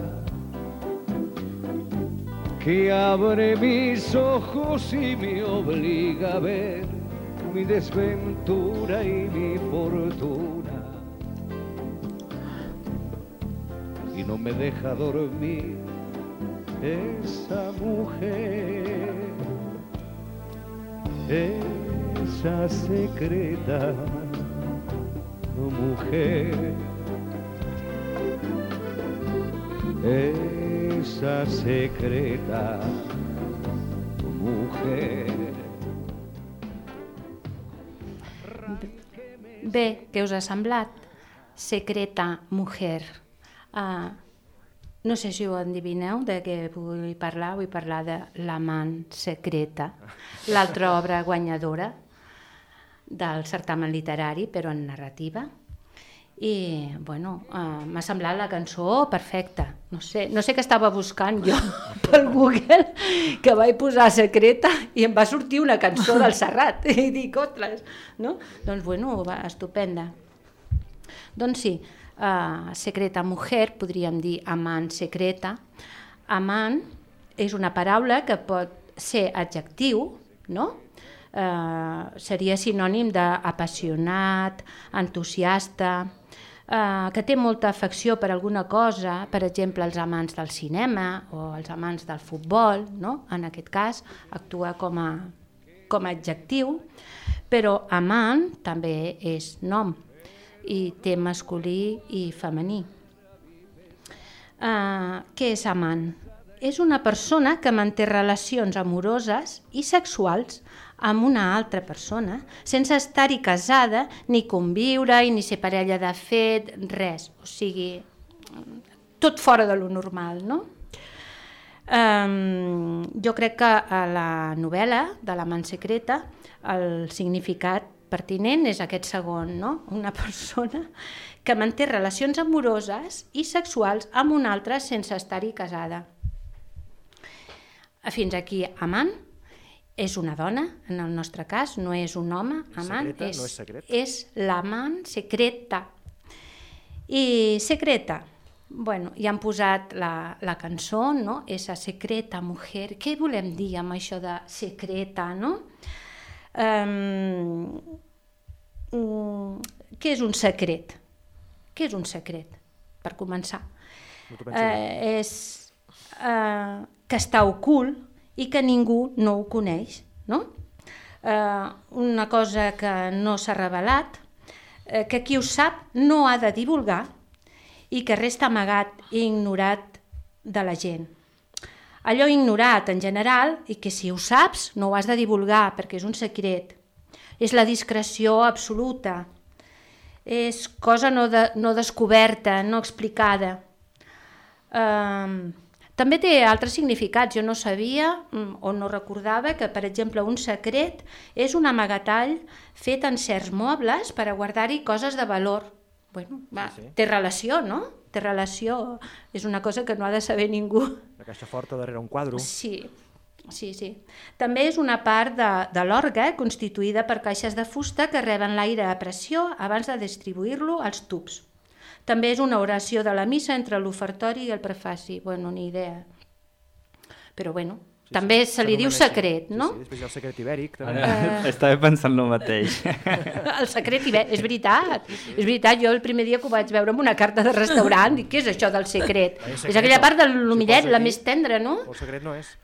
que abre mis ojos y me obliga a ver mi desventura y mi fortuna, y no me deja dormir esa mujer, esa secreta mujer, esa secreta mujer. Bé, què us ha semblat? Secreta mujer. Uh, no sé si ho endivineu de què vull parlar. Vull parlar de L'amant secreta, l'altra obra guanyadora del certamen literari, però en narrativa. I, bueno, uh, m'ha semblat la cançó perfecta. No sé, no sé què estava buscant jo pel Google, que vaig posar secreta i em va sortir una cançó del Serrat. I dic, ostres, no? Doncs, bueno, va, estupenda. Doncs sí, uh, secreta mujer, podríem dir amant secreta. Amant és una paraula que pot ser adjectiu, no? Uh, seria sinònim d'apassionat, entusiasta, uh, que té molta afecció per alguna cosa, per exemple, els amants del cinema o els amants del futbol, no? En aquest cas actua com a, com a adjectiu, però amant també és nom i té masculí i femení. Uh, què és amant? És una persona que manté relacions amoroses i sexuals amb una altra persona, sense estar-hi casada, ni conviure, ni ser parella de fet, res. O sigui, tot fora de lo normal, no? Um, jo crec que a la novel·la de l'amant secreta el significat pertinent és aquest segon, no? Una persona que manté relacions amoroses i sexuals amb una altra sense estar-hi casada. Fins aquí, amant és una dona, en el nostre cas, no és un home, amant, Secreta, és, no és secret. és l'amant secreta. I secreta, bueno, ja han posat la, la cançó, no? Esa secreta mujer. Què volem dir amb això de secreta, no? Um, um, què és un secret? Què és un secret, per començar? No t'ho penso Uh, dir. és uh, que està ocult i que ningú no ho coneix, no? Uh, una cosa que no s'ha revelat, uh, que qui ho sap no ha de divulgar i que resta amagat i ignorat de la gent. Allò ignorat en general i que si ho saps no ho has de divulgar perquè és un secret. És la discreció absoluta. És cosa no, de, no descoberta, no explicada. Uh, també té altres significats. Jo no sabia o no recordava que, per exemple, un secret és un amagatall fet en certs mobles per a guardar-hi coses de valor. Bueno, va, Sí, sí. té relació, no? Té relació. És una cosa que no ha de saber ningú. La caixa forta darrere un quadre. Sí, sí, sí. També és una part de, de l'orgue constituïda per caixes de fusta que reben l'aire a pressió abans de distribuir-lo als tubs. També és una oració de la missa entre l'ofertori i el prefaci. Bueno, ni idea. Però bueno, sí, també sí, se li diu secret, no? Sí, sí, després hi ha el secret ibèric. També. Ara, uh... Estava pensant el mateix. El secret ibèric, és veritat. Sí, sí. És veritat, jo el primer dia que ho vaig veure amb una carta de restaurant, dic, què és això del secret? secret és aquella part de l'humillet, si la més tendra, no? El secret no és.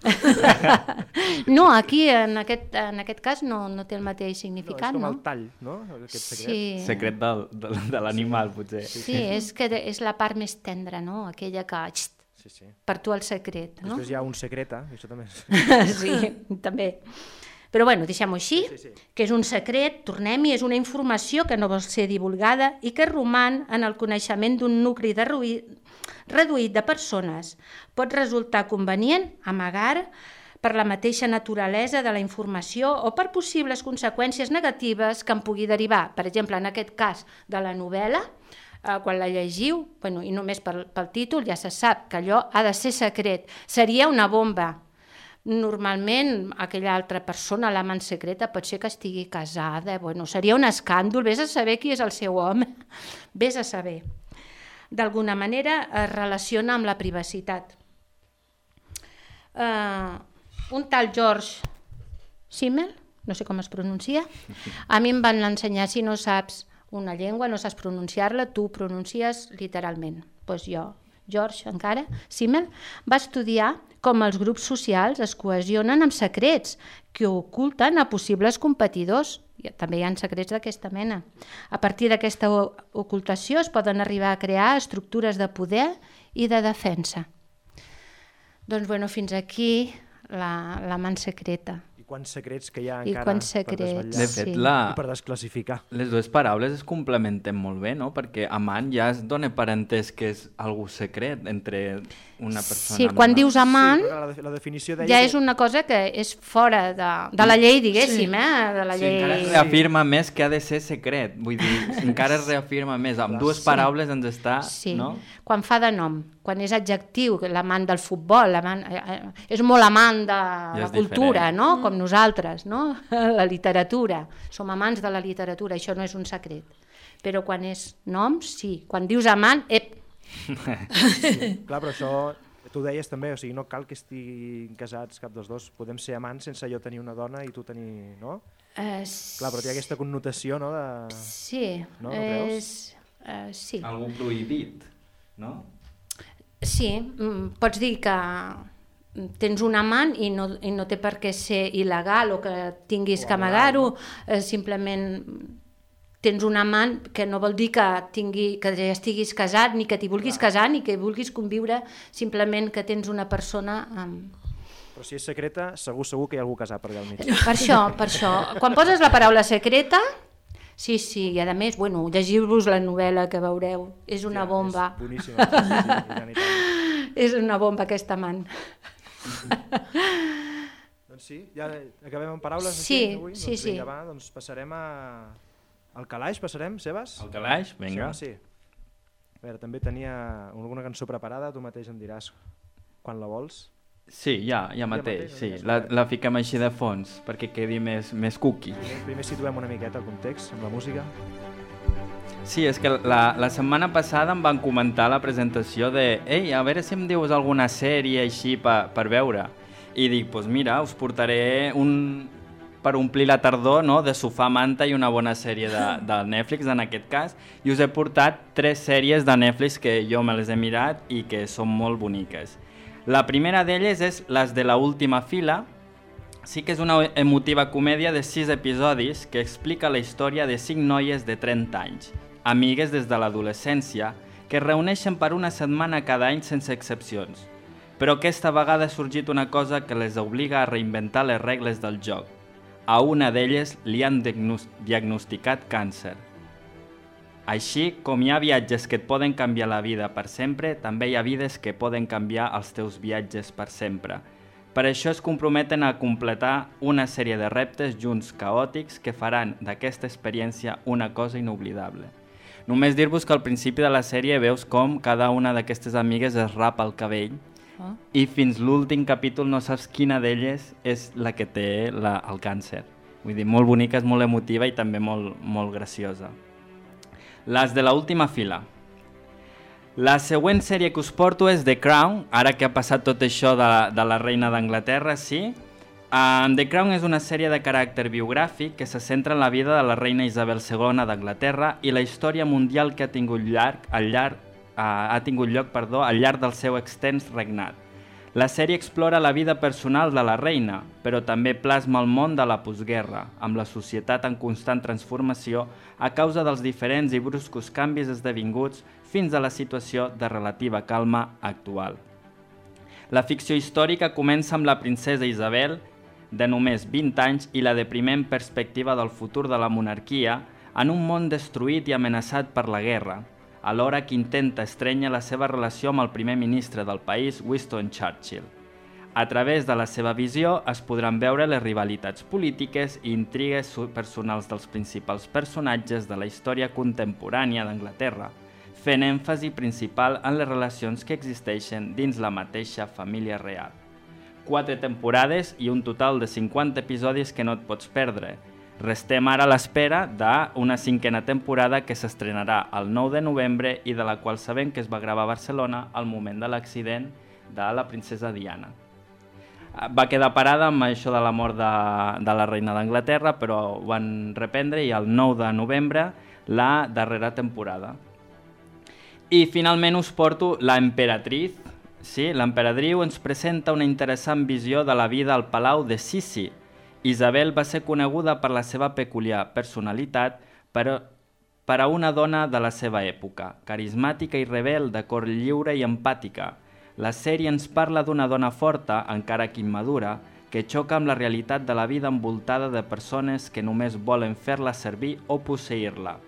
No, aquí, en aquest, en aquest cas, no, no té el mateix significat, no? És com el tall, no? Aquest secret. Sí. Secret del, de, de l'animal, potser. Sí, sí, és que és la part més tendra, no? Aquella que... Xt, sí, sí. Per tu el secret, no? Després hi ha un secreta, això també és... Sí, també. Però bueno, deixem-ho així, sí, sí, sí. Que és un secret, tornem-hi, és una informació que no vol ser divulgada i que roman en el coneixement d'un nucli de reduït de persones. Pot resultar convenient amagar per la mateixa naturalesa de la informació o per possibles conseqüències negatives que en pugui derivar. Per exemple, en aquest cas de la novel·la, Uh, quan la llegiu, bueno, i només pel, pel títol ja se sap que allò ha de ser secret, seria una bomba. Normalment aquella altra persona, l'amant secreta, pot ser que estigui casada, bueno, seria un escàndol, vés a saber qui és el seu home, vés a saber. D'alguna manera es relaciona amb la privacitat. Uh, un tal George Simmel, no sé com es pronuncia, a mi em van ensenyar, si no saps una llengua, no saps pronunciar-la, tu pronuncies literalment. Doncs jo, George encara, Simmel, va estudiar com els grups socials es cohesionen amb secrets que oculten a possibles competidors. També hi ha secrets d'aquesta mena. A partir d'aquesta ocultació es poden arribar a crear estructures de poder i de defensa. Doncs bueno, fins aquí la, la man secreta. I quants secrets que hi ha I encara secrets, per desvetllar de fet, la... i per desclassificar. Les dues paraules es complementen molt bé, no? Perquè amant ja es dona per entès que és algú secret entre una persona... Sí, quan dius amant, sí, la, la definició ja és una cosa que és fora de, de la llei, diguéssim, sí. eh? De la sí, llei... encara es reafirma més que ha de ser secret, vull dir, encara es reafirma més, amb dues paraules ens està... Sí, no? Quan fa de nom, quan és adjectiu, l'amant del futbol, l'amant, eh, és molt amant de ja la cultura, diferent. no? Com nosaltres, no? La literatura, som amants de la literatura, això no és un secret. Però quan és nom, sí. Quan dius amant, ep, sí, clar, però això tu deies també, o sigui, no cal que estiguin casats cap dels dos, podem ser amants sense jo tenir una dona i tu tenir, no? Uh, clar, però té aquesta connotació, no? De... Sí, no, no és... Uh, sí. Algú prohibit, no? Sí, pots dir que tens un amant i no, i no té per què ser il·legal o que tinguis o que amagar-ho, no? simplement tens un amant que no vol dir que, tingui, que ja estiguis casat, ni que t'hi vulguis Clar. casar, ni que vulguis conviure, simplement que tens una persona... Amb... Però si és secreta, segur segur que hi ha algú casat per allà al mig. Per això, per això. Quan poses la paraula secreta, sí, sí, i a més, bueno, llegiu-vos la novel·la que veureu, és una sí, bomba. És boníssima. Sí, sí, sí, tant i tant. És una bomba aquest amant. Doncs sí, ja acabem amb paraules sí, aquí avui? Sí, doncs sí. Vinga, va, doncs passarem a... Al calaix, passarem, Sebas? Al calaix, vinga. Sí, sí. A veure, també tenia alguna cançó preparada, tu mateix em diràs quan la vols. Sí, ja, ja mateix, ja mateix sí. La, la fiquem així de fons, perquè quedi més, més cookie. Primer, primer situem una miqueta el context amb la música. Sí, és que la, la setmana passada em van comentar la presentació de «Ei, a veure si em dius alguna sèrie així per, per veure». I dic, doncs pues mira, us portaré un... per omplir la tardor, no? De sofà, manta i una bona sèrie de, de Netflix, en aquest cas, i us he portat tres sèries de Netflix que jo me les he mirat i que són molt boniques. La primera d'elles és Les de la última fila. Sí que és una emotiva comèdia de sis episodis que explica la història de cinc noies de trenta anys, amigues des de l'adolescència, que es reuneixen per una setmana cada any sense excepcions. Però aquesta vegada ha sorgit una cosa que les obliga a reinventar les regles del joc. A una d'elles li han diagnosticat càncer. Així, com hi ha viatges que et poden canviar la vida per sempre, també hi ha vides que poden canviar els teus viatges per sempre. Per això es comprometen a completar una sèrie de reptes junts caòtics que faran d'aquesta experiència una cosa inoblidable. Només dir-vos que al principi de la sèrie veus com cada una d'aquestes amigues es rapa el cabell oh. i fins l'últim capítol no saps quina d'elles és la que té la, el càncer. Vull dir, molt bonica, és molt emotiva i també molt, molt graciosa. Les de la última fila. La següent sèrie que us porto és The Crown, ara que ha passat tot això de, de la reina d'Anglaterra, sí. Um, The Crown és una sèrie de caràcter biogràfic que se centra en la vida de la reina Isabel segona d'Anglaterra i la història mundial que ha tingut, llarg, al llarg, uh, ha tingut lloc perdó, al llarg del seu extens regnat. La sèrie explora la vida personal de la reina, però també plasma el món de la postguerra, amb la societat en constant transformació a causa dels diferents i bruscos canvis esdevinguts fins a la situació de relativa calma actual. La ficció històrica comença amb la princesa Isabel, de només vint anys, i la depriment perspectiva del futur de la monarquia en un món destruït i amenaçat per la guerra, alhora que intenta estrènyer la seva relació amb el primer ministre del país, Winston Churchill. A través de la seva visió es podran veure les rivalitats polítiques i intrigues personals dels principals personatges de la història contemporània d'Anglaterra, fent èmfasi principal en les relacions que existeixen dins la mateixa família real. Quatre temporades i un total de cinquanta episodis que no et pots perdre. Restem ara a l'espera d'una cinquena temporada que s'estrenarà el nou de novembre i de la qual sabem que es va gravar a Barcelona al moment de l'accident de la princesa Diana. Va quedar parada amb això de la mort de, de la reina d'Anglaterra, però ho van reprendre i el nou de novembre la darrera temporada. I finalment us porto La Emperatriz. Sí, l'Emperadriu ens presenta una interessant visió de la vida al palau de Sisi. Isabel va ser coneguda per la seva peculiar personalitat, però per a una dona de la seva època, carismàtica i rebel, de cor lliure i empàtica. La sèrie ens parla d'una dona forta, encara que immadura, que xoca amb la realitat de la vida envoltada de persones que només volen fer-la servir o posseir-la.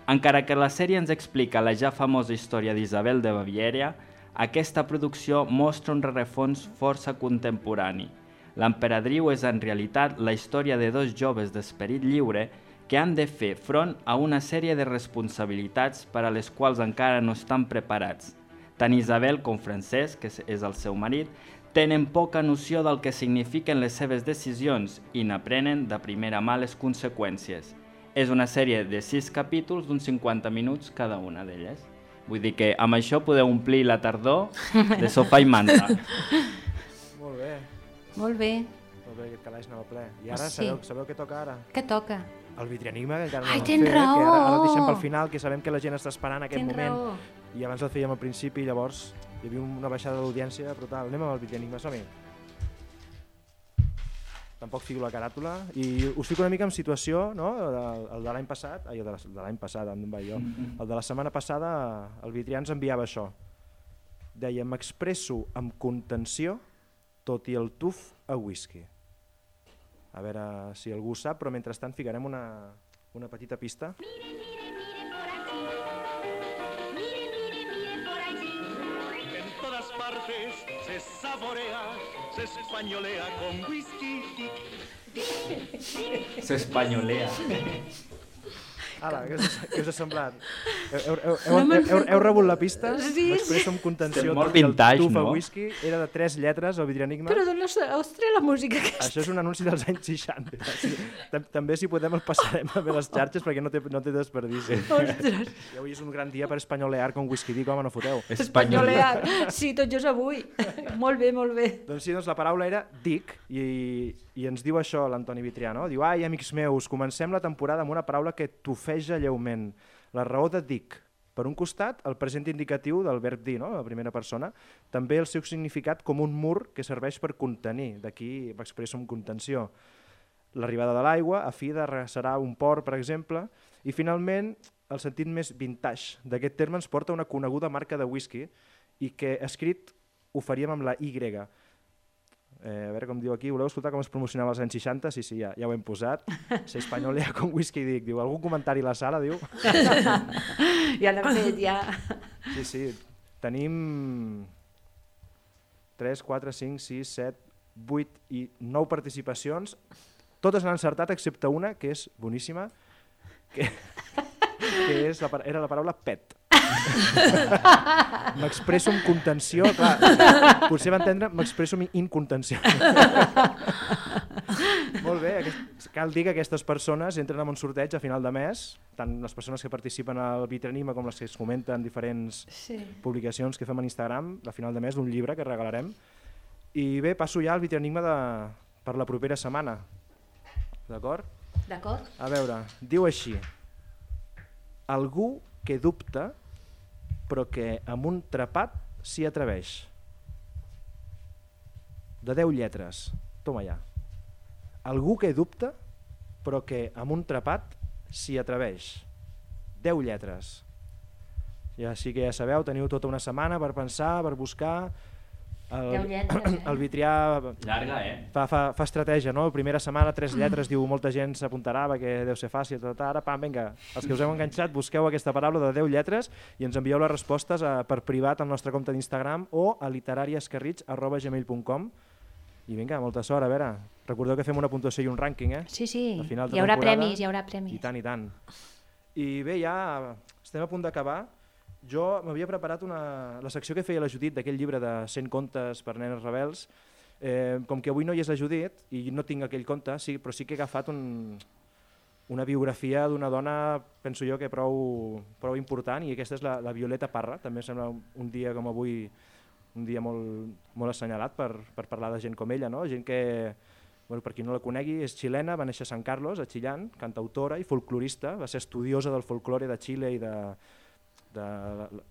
Encara que la sèrie ens explica la ja famosa història d'Isabel de Baviera, aquesta producció mostra un rerefons força contemporani. L'Emperadriu és en realitat la història de dos joves d'esperit lliure que han de fer front a una sèrie de responsabilitats per a les quals encara no estan preparats. Tant Isabel com Francesc, que és el seu marit, tenen poca noció del que signifiquen les seves decisions i n'aprenen de primera mà les conseqüències. És una sèrie de sis capítols d'uns cinquanta minuts cada una d'elles. Vull dir que amb això podeu omplir la tardor de sofà i manta. Molt bé. Molt bé. Molt bé, aquest calaix anava ple. I ara Sí. sabeu, sabeu què toca ara? Què toca? El Vitrienigma, que encara no Ai, l'hem tens fet, raó! que ara, ara el deixem pel final, que sabem que la gent està esperant aquest Tens moment. raó. I abans el fèiem al principi, llavors hi havia una baixada d'audiència brutal. Anem amb el Vitrienigma, som-hi. Tampoc fico la caràtula. I us fico una mica en situació, no? El, el de l'any passat, ai, el de la- de l'any passat, on vaig jo. El de la setmana passada, el Vitrià ens enviava això. Deia, m'expresso amb contenció, tot i el tuf a whisky. A veure si algú sap, però mentrestant ficarem una, una petita pista. En todas partes se saborea, se españolea con whisky. S'espanyolea. Ala, què us, què us ha semblat? Heu, heu, heu, heu, heu, heu rebut la pista? Sí, M'expresso amb contenció, Estem molt tot i el vintage, tuf a no? whisky. Era de tres lletres, el Vitrienigma. Però d'on has has tret la música aquesta? Això és un anunci dels anys seixanta. Sí. Tam- També, si podem, el passarem a les xarxes perquè no té, no té desperdici. Ostres, I avui és un gran dia per espanyolear con whisky dic, home, no foteu. espanyolear. Sí, tot just avui. Molt bé, molt bé. Doncs sí, doncs la paraula era dic i, i ens diu això l'Antoni Vitrià, no? Diu, ai, amics meus, comencem la temporada amb una paraula que tofeja lleument. La raó de dic. Per un costat, el present indicatiu del verb dir, no? La primera persona, també el seu significat com un mur que serveix per contenir. D'aquí m'expresso amb contenció. L'arribada de l'aigua, a fi de serà un port, per exemple, i finalment el sentit més vintage d'aquest terme ens porta a una coneguda marca de whisky i que escrit ho faríem amb la Y. Eh, a veure com diu aquí, voleu escoltar com es promocionava als anys seixanta? Sí, sí, ja, ja ho hem posat. Se espanyolea con whisky, dic. Diu, algun comentari a la sala, diu? Ja l'hem fet, ja. Sí, sí, tenim tres, quatre, cinc, sis, set, vuit i nou participacions. Totes han encertat excepte una, que és boníssima, que, que és la, era la paraula pet. M'expresso amb contenció, clar, potser va entendre m'expresso amb incontenció. Molt Molt bé, aquest, cal dir que aquestes persones entren en un sorteig a final de mes, tant les persones que participen al Vitranima com les que es comenten diferents sí. publicacions que fem a Instagram, a final de mes d'un llibre que regalarem. I bé, passo ja al Vitranima de, per la propera setmana. D'acord? D'acord. A veure, diu així: algú que dubta però que amb un trepat s'hi atreveix. De deu lletres. Toma ja. Algú que dubta però que amb un trepat s'hi atreveix. deu lletres. I així que ja sabeu, teniu tota una setmana per pensar, per buscar. El, deu lletres, eh? El Vitrià llarga, eh? fa, fa, fa estratègia, no? Primera setmana, tres lletres, diu, molta gent s'apuntarà perquè deu ser fàcil, tot, ara, pam, vinga, els que us heu enganxat, busqueu aquesta paraula de deu lletres i ens envieu les respostes a, per privat al nostre compte d'Instagram o a literariescarrits arroba gmail punt com. I vinga, molta sort, a veure, recordeu que fem una puntuació i un rànquing, eh? Sí, sí, hi haurà premis, hi haurà premis. I tant, i tant. I bé, ja estem a punt d'acabar. Jo m'havia preparat una, la secció que feia la Judit d'aquell llibre de cent contes per nenes rebels. Eh, com que avui no hi és la Judit i no tinc aquell conte, sí, però sí que he agafat un, una biografia d'una dona, penso jo, que prou, prou important, i aquesta és la, la Violeta Parra. També sembla un dia com avui, un dia molt, molt assenyalat per, per parlar de gent com ella, no? Gent que, bueno, per qui no la conegui, és xilena, va néixer a San Carlos, a Chillán, cantautora i folclorista, va ser estudiosa del folklore de Xile i de, de,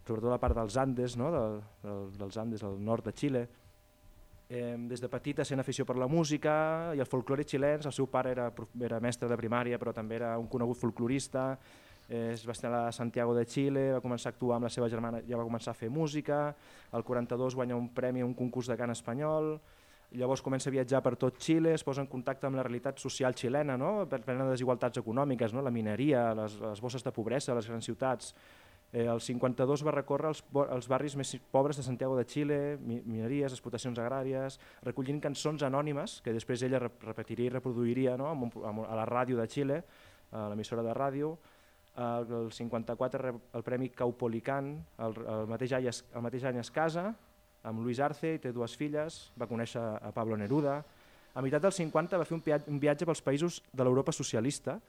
sobretot la part dels Andes, no? de, de, dels Andes, al nord de Xile. Eh, des de petita sent afició per la música i el folklore xilens. El seu pare era, era mestre de primària, però també era un conegut folklorista. Eh, es va estar a Santiago de Xile, va començar a actuar amb la seva germana, ja va començar a fer música. Al quaranta-dos guanya un premi a un concurs de cant espanyol. Llavors comença a viatjar per tot Xile, es posa en contacte amb la realitat social xilena, no? Per plena de desigualtats econòmiques, no? La mineria, les, les bosses de pobresa, les grans ciutats. Eh, el cinquanta-dos va recórrer els, els barris més pobres de Santiago de Xile, mi, mineries, explotacions agràries, recollint cançons anònimes que després ella repetiria i reproduiria, no? Amb un, a la ràdio de Xile, a l'emissora de ràdio. El, el cinquanta-quatre rep el Premi Caupolicán, el, el, mateix any es, el mateix any es casa amb Luis Arce i té dues filles, va conèixer a Pablo Neruda. A meitat dels cinquanta va fer un, un viatge pels països de l'Europa socialista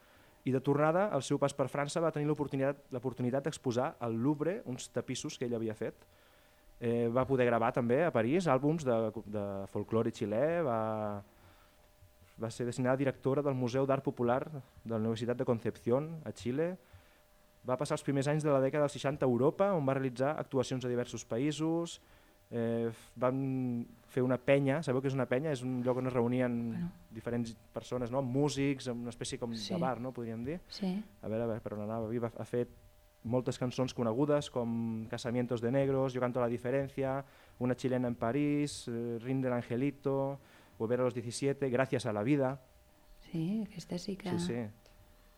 i de tornada al seu pas per França va tenir l'oportunitat d'exposar al Louvre uns tapissos que ell havia fet. Eh, va poder gravar també a París àlbums de, de folklore xilè, va, va ser designada directora del Museu d'Art Popular de la Universitat de Concepción a Xile. Va passar els primers anys de la dècada dels seixanta a Europa, on va realitzar actuacions a diversos països. Eh, van fer una penya, sabeu què és una penya? És un lloc on es reunien bueno. diferents persones, no? Músics, una espècie com sí. de bar, no? Podríem dir. Sí. A veure, a veure, per on anava. Ha fet moltes cançons conegudes com Casamientos de Negros, Yo canto la diferencia, Una chilena en París, eh, Rinde el Angelito, Volver a los diecisiete, Gracias a la vida. Sí, aquesta sí que... Sí, sí.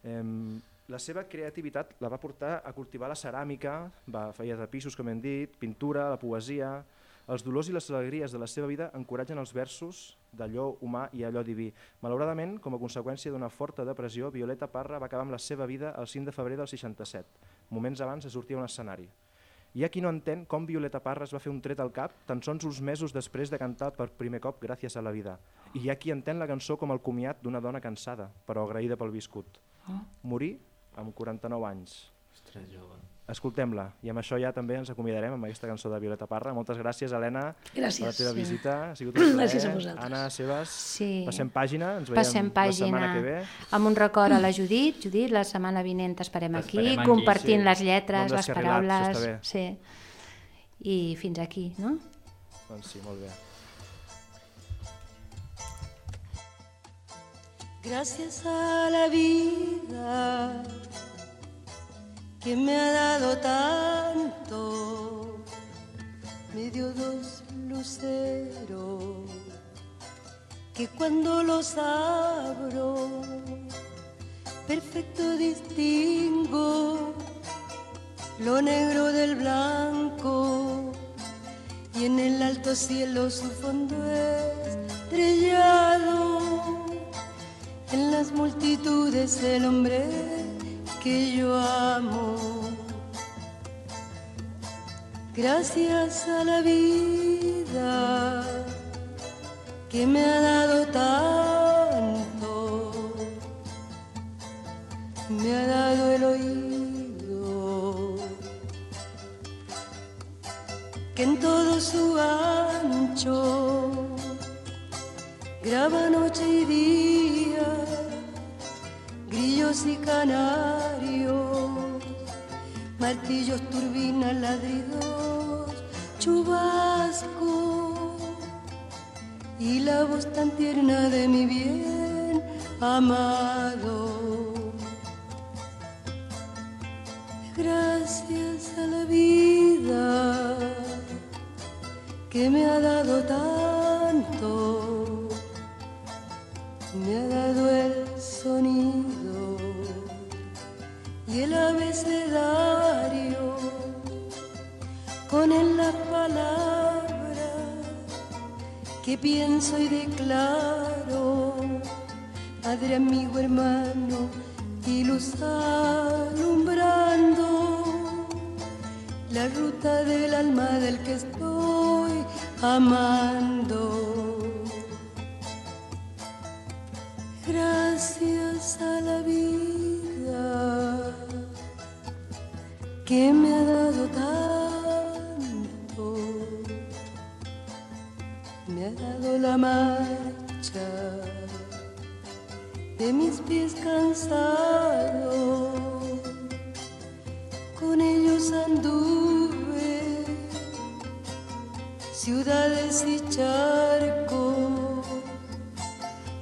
Eh, La seva creativitat la va portar a cultivar la ceràmica, va feia tapissos, com hem dit, pintura, la poesia. Els dolors i les alegries de la seva vida encoratgen els versos d'allò humà i allò diví. Malauradament, com a conseqüència d'una forta depressió, Violeta Parra va acabar amb la seva vida el cinc de febrer del seixanta-set, moments abans de sortir a un escenari. Hi ha qui no entén com Violeta Parra es va fer un tret al cap tan sols uns mesos després de cantar per primer cop Gràcies a la vida. I hi ha qui entén la cançó com el comiat d'una dona cansada, però agraïda pel viscut. Morir amb quaranta-nou anys. Ostres, jove. Escoltem-la, i amb això ja també ens acomiadarem amb aquesta cançó de Violeta Parra. Moltes gràcies, Helena, gràcies. per la teva sí. visita. Ha sigut un plaer. Gràcies a vosaltres. Anna, Sebas, sí. passem pàgina, ens veiem passem pàgina. la setmana que ve. Amb un record a la Judit. Judit, la setmana vinent t'esperem aquí, aquí, compartint sí. les lletres, les paraules. Sí. I fins aquí, no? Doncs sí, molt bé. Gracias a la vida que me ha dado tanto, me dio dos luceros que cuando los abro perfecto distingo lo negro del blanco y en el alto cielo su fondo estrellado. En las multitudes el hombre que yo amo. Gracias a la vida que me ha dado tanto, me ha dado el oído, que en todo su ancho graba noche y día, grillos y canarios, martillos, turbinas, ladridos, chubasco y la voz tan tierna de mi bien amado. Gracias a la vida que me ha dado tanto, me ha dado el sonido y el abecedario, con él las palabras que pienso y declaro, padre, amigo, hermano y luz alumbrando la ruta del alma del que estoy amando. Gracias a la vida que me ha dado tanto, me ha dado la marcha de mis pies cansados, con ellos anduve ciudades y charcos,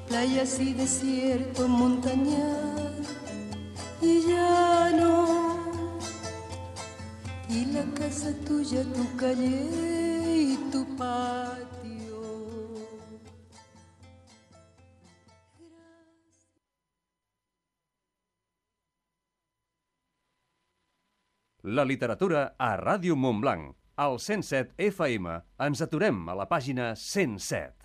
playas y desiertos, montañas y llano, y la casa tuya, tu calle y tu patio. La literatura a Ràdio Montblanc. Al cent set F M ens aturem a la pàgina cent set.